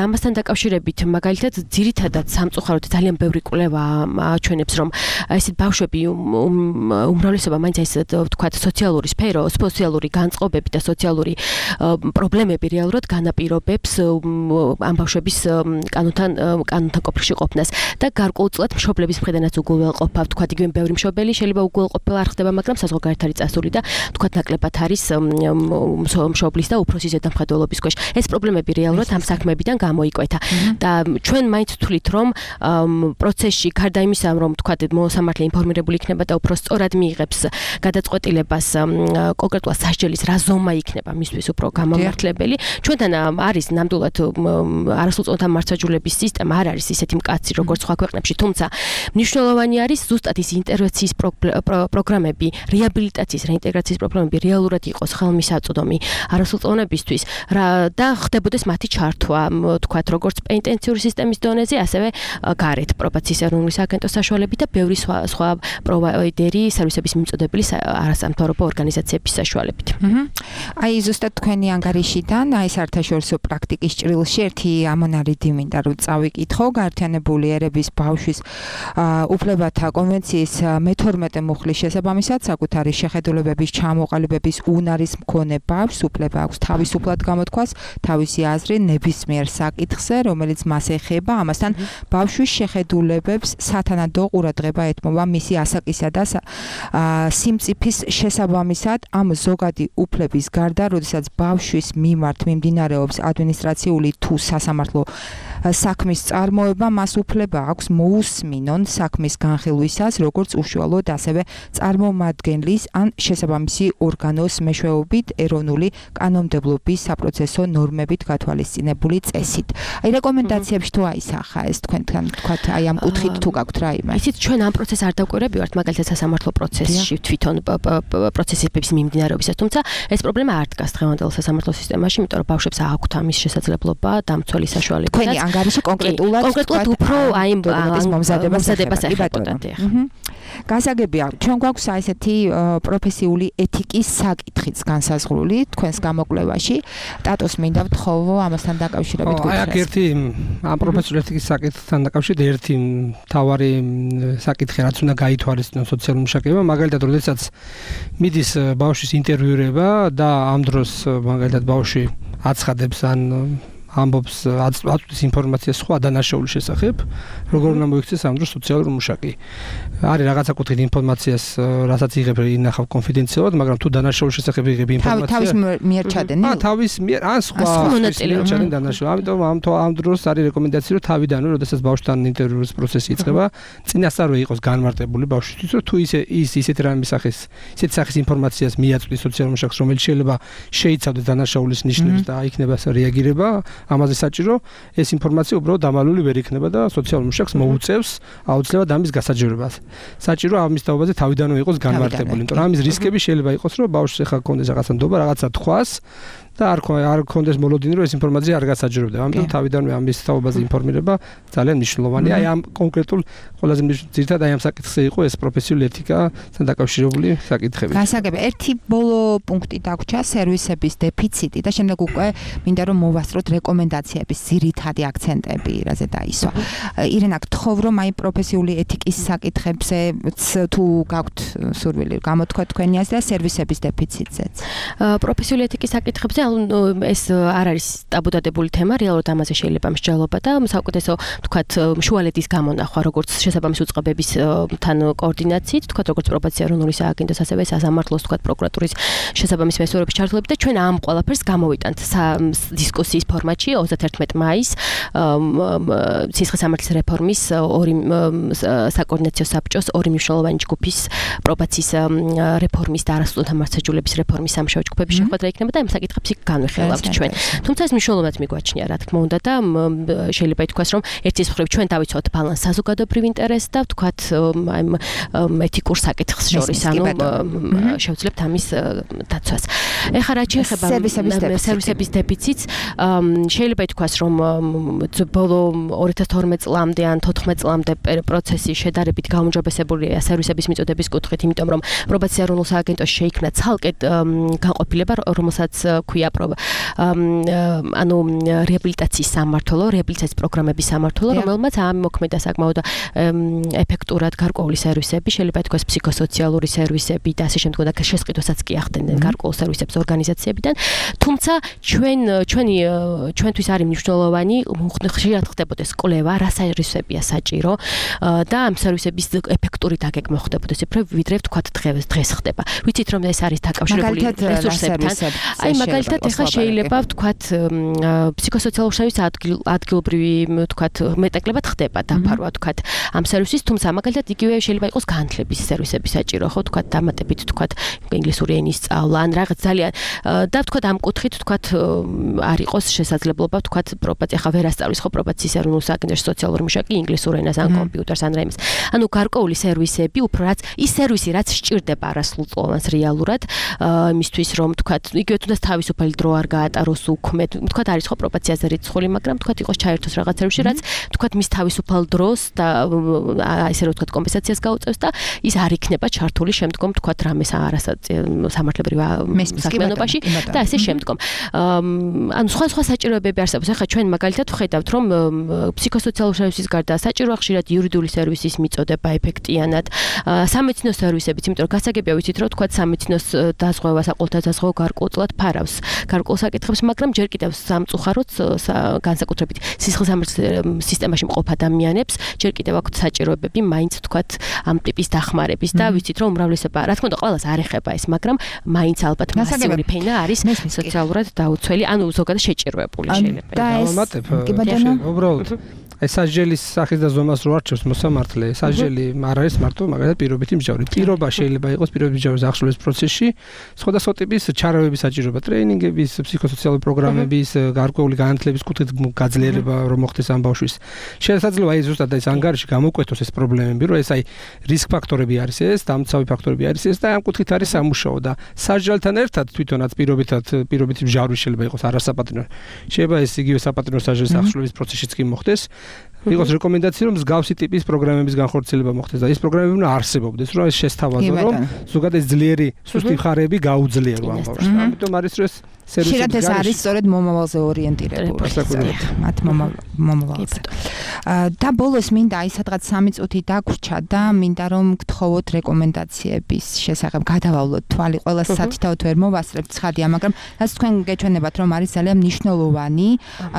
S10: ამასთან დაკავშირებით მაგალითად ძირითადად სამწუხაროდ ძალიან ბევრი კვლევა აჩვენებს, რომ ესეთ ბავშვები უმრავლესობა მაინც ეს ვთქვათ სოციალური განწყობები და სოციალური პრობლემები რეალურად განაპირობებს ამ ბავშვების კანონთან ყოფილში ყოფნას და გარკვეულწილად მშობლების მხრიდანაც უგულველყოფა, თქვა იგივე ბევრი მშობელი შეიძლება უგულველყოფილ არ ხდება, მაგრამ საზღვარგარეთ არის წასული და თქვა ნაკლებად არის მშობლის და უფროსის ზედამხედველობის ქვეშ. ეს პრობლემები რეალურად ამ საქმეებიდან გამოიკვეთა და ჩვენ მაინც ვთვლით, რომ პროცესში გარდა იმისა, რომ თქვა მოსამართლე ინფორმირებული იქნება და უფრო სწორად მიიღებს გადაწყვეტილებას კონკრეტულად სასჯელის რა ზომა იქნება მისთვის უფრო გამომართლებელი. ჩვენთან არის ნამდვილად არასრულწლოვანთა მართლმსაჯულების სისტემა არ არის ისეთი მკაცრი როგორც სხვა ქვეყნებში, თუმცა მნიშვნელოვანი არის ზუსტად ის ინტერვენციის პროგრამები, რეაბილიტაციის, რეინტეგრაციის პროგრამები რეალურად იყოს ხელმისაწვდომი არასრულწლოვანებისთვის და ხდებოდეს მათი ჩართვა, თქვათ, როგორც პენიტენციური სისტემის დონეზე, ასევე გარეთ პრობაციის ეროვნული სააგენტოს საშუალებით და ბევრი სხვა პროვაიდერი სერვისების მიმწოდებელი არასამთავრობო ორგანიზაციების საშუალებით.
S5: აი ზუსტად თქვენი ანგარიშიდან, აი საერთაშორისო პრაქტიკის ჭრილში ერთი ამონარიდი მინდა რომ წავიკითხო, გაერთიანებული ერების ბავშვის უფლებათა კონვენციის მე-12 მუხლის შესაბამისად, საკუთარი შეხედულებების ჩამოყალიბების უნარის მქონე ბავშვს უფლება აქვს თავისუფლად გამოთქვას თავისი აზრი ნებისმიერ საკითხზე, რომელიც მას ეხება, ამასთან ბავშვის შეხედულებებს სათანადო ყურადღება ეთმობა მისი ასაკისა და სიმწიფის შესაბამისად ამ ზოგადი უფლების გარდა, როდესაც ბავშვის მიმართ მიმდინარეობს ადმინისტრაციული თუ სასამართლო საქმის წარმოება, მას უფლება აქვს მოусმინონ საქმის განხილვისას, როგორც უშუალოდ, ასევე წარმომადგენლის ან შესაბამისი ორგანოს მეშვეობით ეროვნული კანონმდებლობის საპროცესო ნორმებით გათვალისწინებული წესით. აი რეკომენდაციებში თუ აისახა ეს თქვენთან, თქვათ, აი ამ კუთხით თუ გაქვთ რაიმე?
S10: ისიც ჩვენ ამ პროცესს არ დავკვირვებივართ, მაგალითად სასამართლო პროცესში თვითონ პროცესების მიმდინარეობისას, თუმცა ეს პრობლემა არ დგას დღევანდელ სასამართლო სისტემაში, იმიტომ რომ ბავშვებს აქვთ ამის შესაძლებლობა დამცველი საშუალებითაც.
S5: თქვენი ანგარიში კონკრეტულად
S10: უფრო აი მომზადებას ეხება.
S5: გასაგებია, ჩვენ გვაქვს ესეთი პროფესიული ეთიკის საკითხიც განსაზღვრული თქვენს გამოკვლევაში. ტატოს მინდა ვთხოვო ამასთან დაკავშირებით გითხრას.
S11: აი აქ ერთი ამ პროფესიული ეთიკის საკითხთან დაკავშირებით ერთი მთავარი საკითხი რაც უნდა გაითვალისწინოს სოციალურ მუშაკებამ, მაგალითად, როდესაც მიდის ბავშვის ინტერვიურება და ამ დროს მაგალითად ბავშვი აცხადებს ან ამბობს აწვდის ინფორმაციას სხვა დანაშაულის შესახებ, როგორ უნდა მოიქცეს ამ დროს სოციალური მუშაკი. არის რაღაცა კუთხით ინფორმაციას, რასაც იღებ ინახავ კონფიდენციალურად, მაგრამ თუ დანაშაულის შესახებ იღებ ინფორმაციას,
S5: თავის მიერ ჩადენილი?
S11: თავის მიერ ან სხვა მონაწილე ჩადენ დანაშაული. ამიტომ ამ დროს არის რეკომენდაცია, რომ თავიდანვე, როდესაც ბავშვთან ინტერვიურის პროცესი იწყება, წინასწარვე იყოს განმარტებული ბავშვისთვის, რომ თუ ისეთ რამის სახის, ისეთ სახის ინფორმაციას მიაწვდის სოციალურ მუშაკს, რომელიც შეიძლება შეიცავდეს დანაშაულის ნიშნებს და იქნება რეაგირება, ამაზე საჭირო ეს ინფორმაცია უბრალოდ დამალული ვერ იქნება და სოციალურ მუშაკს მოუწევს აუცილებლად ამის გასაჯრებას. საჭირო ამის თაობაზე თავიდანვე იყოს განმარტებული, იმიტომ რომ ამის რისკები შეიძლება იყოს, რომ ბავშვს ახლა კონდეს რაღაცა ნდობა, რაღაცა თხვას და არ კონდეს მოლოდინი, რომ ეს ინფორმაცია არ გასაჯრებდება. ამიტომ თავიდანვე ამის თაობაზე ინფორმირება ძალიან მნიშვნელოვანია. აი ამ კონკრეტულ ყველაზე ძირითადად აი ამ საკითხზე იყო ეს პროფესიული ეთიკასთან დაკავშირებული საკითხები.
S5: გასაგებია, ერთი ბოლო პუნქტი დაგვრჩა სერვისების დეფიციტი და შემდეგ უკვე მინდა რომ მოვასწროთ რეკომენდაციების ძირითადი აქცენტები, რაზე დაისვა. ირენა, გთხოვ რომ აი პროფესიული ეთიკის საკითხებზე თუ გაქვთ სურვილი გამოთქვა თქვენი აზრი და სერვისების დეფიციტზეც.
S10: პროფესიული ეთიკის საკითხებზე ეს არ არის ტაბუდადებული თემა, რეალურად ამაზე შეიძლება მსჯელობა და საუკეთესო, თქვათ, შუალედის გამონახვა, როგორც შესაბამის უწყებებისთან კოორდინაციით, თქვათ, როგორც პრობაცია ეროვნული სააგენტოს, ასევე სასამართლოს, თქვათ, პროკურატურის შესაბამის მესვერების ჩართულებით და ჩვენ ამ ყველაფერს გამოვიტანთ დისკუსიის ფორმატში 31 მაისს სისხლისამართლის რეფორმის საკოორდინაციო საბჭოს ორი მნიშვნელოვანი ჯგუფის პრობაციის რეფორმის და არასრულწლოვანთა მართლმსაჯულების რეფორმის სამუშაო ჯგუფების შეხვედრა იქნება და ამ საკითხებს განვიხილავთ ჩვენ. თუმცა ეს მნიშვნელოვნად მიგვაჩნია, რა თქმა უნდა და შეიძლება ითქვას, რომ ერთის მხრივ ჩვენ დავიცვათ ბალანს საზოგადოებრივ ინტერესს და ვთქვათ აი ეთიკურ საკითხს შორის, ანუ შევძლებთ ამის დაცვას. ეხლა რაც შეეხება სერვისების დეფიციტს, შეიძლება ითქვას, რომ ბოლო 2012 წლამდე ან 14 წლამდე პროცესი შედარებით გაუმჯობესებულია სერვისების მიწოდების კუთხით, იმიტომ რომ პრობაცია ეროვნულ სააგენტოში შეიქმნა ცალკე განყოფილება, რომელსაც ქვია ქვია ანუ რეაბილიტაციის სამმართველო, რეაბილიტაციის პროგრამების სამმართველო, რომელმაც ამოქმედა საკმაოდ ეფექტურად გარკვეული სერვისები, შეიძლება ითქვას ფსიქოსოციალური სერვისები და ასე შემდგომ და შესყიდვასაც კი ახდენდნენ გარკვეულ სერვისებს ორგანიზაციებიდან. თუმცა ჩვენთვის არის მნიშვნელოვანი ხშირად ხდებოდეს კვლევა, რა სერვისებია საჭირო და ამ სერვისების ეფექტური დაგეგმა ხდებოდეს უფრო ვიდრე ვთქვათ დღეს ხდება. ვიცით რომ ეს არის დაკავშირებული რესურსებთან. აი მაგალითად ეხლა შეიძლება ვთქვათ ფსიქოსოციალური სერვისი ადგილობრივი ვთქვათ მეტაკლებად ხდება დაფარვა ვთქვათ ამ სერვისის, თუმცა მაგალითად იგივე შეიძლება იყოს განათლების სერვისები საჭირო, ხო ვთქვათ დამატებით ვთქვათ ინგლისური ენის სწავლა ან რაღაც ძალიან და ვთქვათ ამ კუთხით ვთქვათ არ იყოს შესაძლებლობა ვთქვათ პრობაცია ხა ვერ ასწავლის ხო პრობაციის ეროვნულ სააგენტოში სოციალური მუშაკი ინგლისურ ენას ან კომპიუტერს ან რაიმეს. ანუ გარკვეული სერვისები უფრო რაც ის სერვისი რაც სჭირდება არასრულწლოვანს რეალურად იმისთვის რომ ვთქვათ იგივე თუნდაც თავისუფალი დრო არ გაატაროს უქმედ ვთქვათ არის ხო პრობაციაზე რიცხული, მაგრამ ვთქვათ იყოს ჩაერთოს რაღაც სერვისში რაც ვთქვათ მის თავისუფალ დროს და ისე რომ ვთქვათ კომპენსაციას გაუწევს და ის არ იქნება ჩართული შემდგომ ვთქვათ რამეს სამართლებრივ საქმიანობაში და ასე შემდგომ. ანუ სხვა საჭიროებები არსებობს. ახლა ჩვენ მაგალითად ვხედავთ რომ ფსიქოსოციალური სერვისის გარდა საჭიროა ხშირად იურიდიული სერვისის მიწოდება ეფექტიანად, სამეცნიერო სერვისებიც, იმიტომ რომ გასაგებია ვიცით რომ ვთქვათ სამეცნიერო დაზღვევა, საყოველთაო დაზღვევა გარკვეულწილად ფარავს გარკვეულ საკითხებს, მაგრამ ჯერ კიდევ სამწუხაროდ განსაკუთრებით სისხლისამართლების სისტემაში მყოფ ადამიანებს ჯერ კიდევ აქვთ საჭიროებები მაინც ვთქვათ ამ ტიპის დახმარების და ვიცით რომ უმრავლესობა რა თქმა უნდა ყველას არ ეხება ეს, მაგრამ მაინც ალბათ მასიური ფენა არის სოციალურად დაუცველი, ანუ ზოგადად შეჭიროებული შეიძლება.
S11: და ეს უბრალოდ ეს სასჯელის სახის და ზომას რო არჩევს მოსამართლე, სასჯელი არ არის მარტო მაგალითად პირობითი მსჯავრი. პირობა შეიძლება იყოს პირობითი მსჯავრების აღსრულების პროცესში სხვადასხვა ტიპის ჩარევების საჭიროება, ტრეინინგების, ფსიქოსოციალური პროგრამების, გარკვეული განათლების კუთხით გაძლიერება რომ მოხდეს ამ ბავშვის. შესაძლოა აი ზუსტად ეს ანგარიში გამოკვეთოს ეს პრობლემები, რომ ეს აი რისკ ფაქტორები არის ეს, დამცავი ფაქტორები არის ეს და ამ კუთხით არის სამუშაო და სასჯელთან ერთად თვითონაც პირობითი მსჯავრი შეიძლება იყოს არასაპატიმრო. შეიძლება ეს იგივე საპატიმრო სასჯელის აღსრულების პროცესშიც კი მოხდეს. იყოს რეკომენდაცია რომ მსგავსი ტიპის პროგრამების განხორციელება მოხდეს და ეს პროგრამები უნდა არსებობდეს, რომ ეს შესთავაზო, რომ ზოგადად ეს ძლიერი სუსტი მხარეები გაუძლიერო ამ ბავშვს. ამიტომ არის რომ ეს
S5: შეიძლება ეს არის სწორედ მომავალზე ორიენტირებული. მათ მომავალზე. და ბოლოს მინდა აი სადღაც 3 წუთი დაგვრჩა და მინდა რომ გთხოვოთ რეკომენდაციების შესახებ გადავავლოთ თვალი ყველა სათითაოდ ვერ მოვასწრებთ ცხადია, მაგრამ რაც თქვენ გეჩვენებათ რომ არის ძალიან მნიშვნელოვანი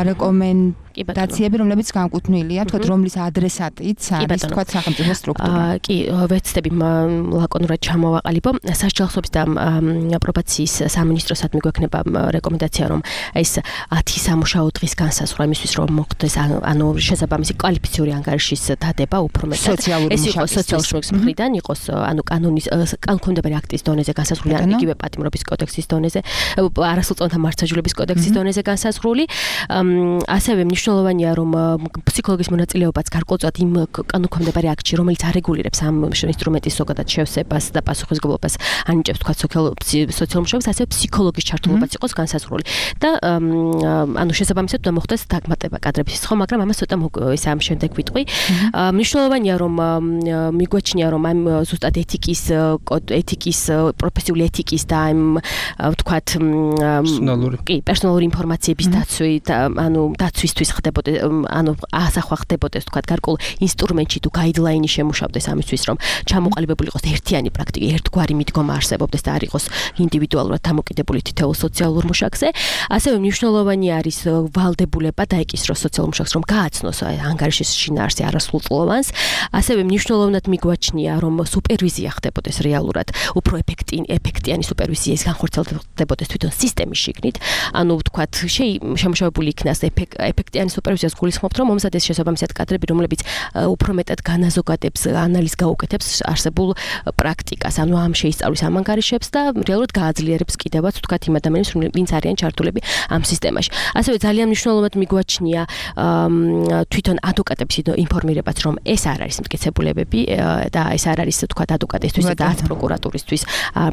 S5: რეკომენდაციები, რომლებიც განკუთვნილია, თქვათ რომლის ადრესატიც არის თქვათ სახელმწიფო სტრუქტურა.
S10: კი, ვეცდები ლაკონურად ჩამოვაყალიბო. სასჯელსობის და პრობაციის სამინისტროსადმი გვექნება რეკომენდაცია რომ ეს 10 სამუშაო დღის განსაზღვრა იმისთვის რომ მოხდეს ანუ შესაბამისი კვალიფიციური ანგარიშის დადება უფრო მეტად ეს იყოს სოციალური შრომის მხრიდან იყოს ანუ კანონის კანონმდებელი აქტის დონეზე განსაზღვრული ან იგივე პატიმრობის კოდექსის დონეზე არასრულწლოვანთა მართლმსაჯულების კოდექსის დონეზე განსაზღვრული ასევე მნიშვნელოვანია რომ ფსიქოლოგის მონაწილეობაც გარკვეულწილად იმ კანონმდებელი აქტში რომელიც არეგულირებს ამ ინსტრუმენტის ზოგადად შევსებას და პასუხისმგებლობას ანიჭებს თქვა სოციალურ მუშაობას ასევე ფსიქოლოგის ჩართულობაც იყოს განსაზღვრული და ანუ შესაბამისად უნდა მოხდეს დაგმატება კადრების ხო, მაგრამ ამას ცოტა ის ამ შემდეგ ვიტყვი. მნიშვნელოვანია რომ მიგვაჩნია რომ ამ ზუსტად ეთიკის პროფესიული ეთიკის და ამ ვთქვათ პერსონალური ინფორმაციების დაცვი და ანუ დაცვისთვის ხდებოდეს ანუ ასახვა ხდებოდეს ვთქვათ გარკვეულ ინსტრუმენტში თუ გაიდლაინი შემუშავდეს ამისთვის რომ ჩამოყალიბებული იყოს ერთიანი პრაქტიკა, ერთგვარი მიდგომა არსებობდეს და არ იყოს ინდივიდუალურად დამოკიდებული თითოეულ სოციალურ მუშაკზე. ასევე მნიშვნელოვანი არის ვალდებულება დაეკისროს სოციალურ მუშაკს, რომ გააცნოს ანგარიშის შინაარსი არასრულწლოვანს. ასევე მნიშვნელოვნად მიგვაჩნია, რომ სუპერვიზია ხდებოდეს რეალურად, უფრო ეფექტიანი სუპერვიზია ის განხორციელდებოდეს თვითონ სისტემის შიგნით. ანუ ვთქვათ, შემუშავებული იქნას ეფექტიანი სუპერვიზიას გულისხმობთ, რომ მომზადდეს შესაბამისად კადრები, რომლებიც უფრო მეტად განაზოგადებს, ანალიზს გაუკეთებს არსებულ პრაქტიკას, ანუ ამ შეისწავლის ამ ანგარიშებს და რეალურად გააძლიერებს კიდევაც ვთქვათ იმ ადამიანებს, ვინც არიან ჩართულები ამ სისტემაში. ასევე ძალიან მნიშვნელოვნად მიგვაჩნია თვითონ ადვოკატების ინფორმირებაც, რომ ეს არ არის მტკიცებულებები და ეს არ არის თქვა ადვოკატისთვის და არც პროკურატურისთვის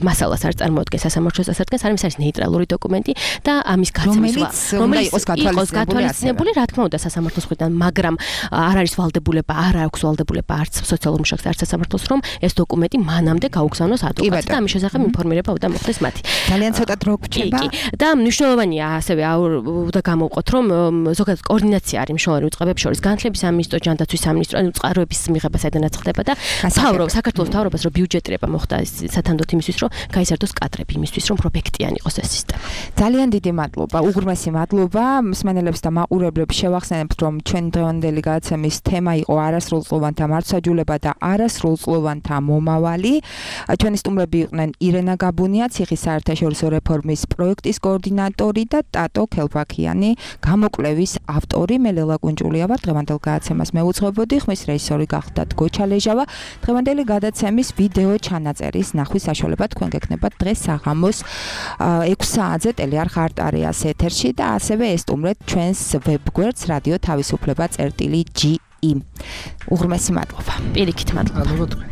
S10: მასალას არ წარმოადგენს სასამართლოს დასადგენს, არამედ არის ნეიტრალური დოკუმენტი და ამის გაცემისვა, რომელიც იყოს გათვალისწინებული, რა თქმა უნდა სასამართლოს მხრიდან, მაგრამ არ არის ვალდებულება, არ აქვს ვალდებულება არც სოციალურ მუშაკს, არც სასამართლოს, რომ ეს დოკუმენტი მანამდე გაუგზავნოს ადვოკატს და ამის შესახებ ინფორმირება უნდა მოხდეს მათი.
S5: ძალიან ცოტა დრო გვჭირდება.
S10: და მნიშვნელოვანია ასევე და გამოვყოთ, რომ ზოგადად კოორდინაცია არის მნიშვნელოვანი უწყებებს შორის, განათლების სამინისტრო, ჯანდაცვის სამინისტრო, ანუ წყაროების მიღება საიდანაც ხდება და საქართველოს მთავრობას რომ ბიუჯეტირება მოხდა სათანდოთ იმისთვის, რომ გაიზარდოს კადრები იმისთვის, რომ პროფექტიანი იყოს ეს სისტემა.
S5: ძალიან დიდი მადლობა, უღრმესი მადლობა მსმენელებს და მაყურებლებს. შევახსენებთ, რომ ჩვენი დღევანდელი გადაცემის თემა იყო არასრულწლოვანთა მართლმსაჯულება და არასრულწლოვანთა მომავალი. ჩვენი სტუმრები იყვნენ ირენა გაბუნია, ციხის საერთაშორისო რეფორმის პროექტის კოორდინატორი და ტატო ქელფაქიანი, გამოკვლევის ავტორი. მე ლელა კუნჭულია ვარ, დღევანდელ გადაცემას მეუძღვებოდი, ხმის რეჟისორი გახდათ გოჩა ლეჟავა. დღევანდელი გადაცემის ვიდეო ჩანაწერის ნახვის საშუალება თქვენ გექნებათ დღეს საღამოს 6 საათზე ტელეარხ არტარიას ეთერში და ასევე ესტუმრეთ ჩვენს ვებგვერდს რადიო თავისუფლება.ge. უღრმესი მადლობა.
S10: პირიქით მადლობა.
S11: მადლობა თქვენ.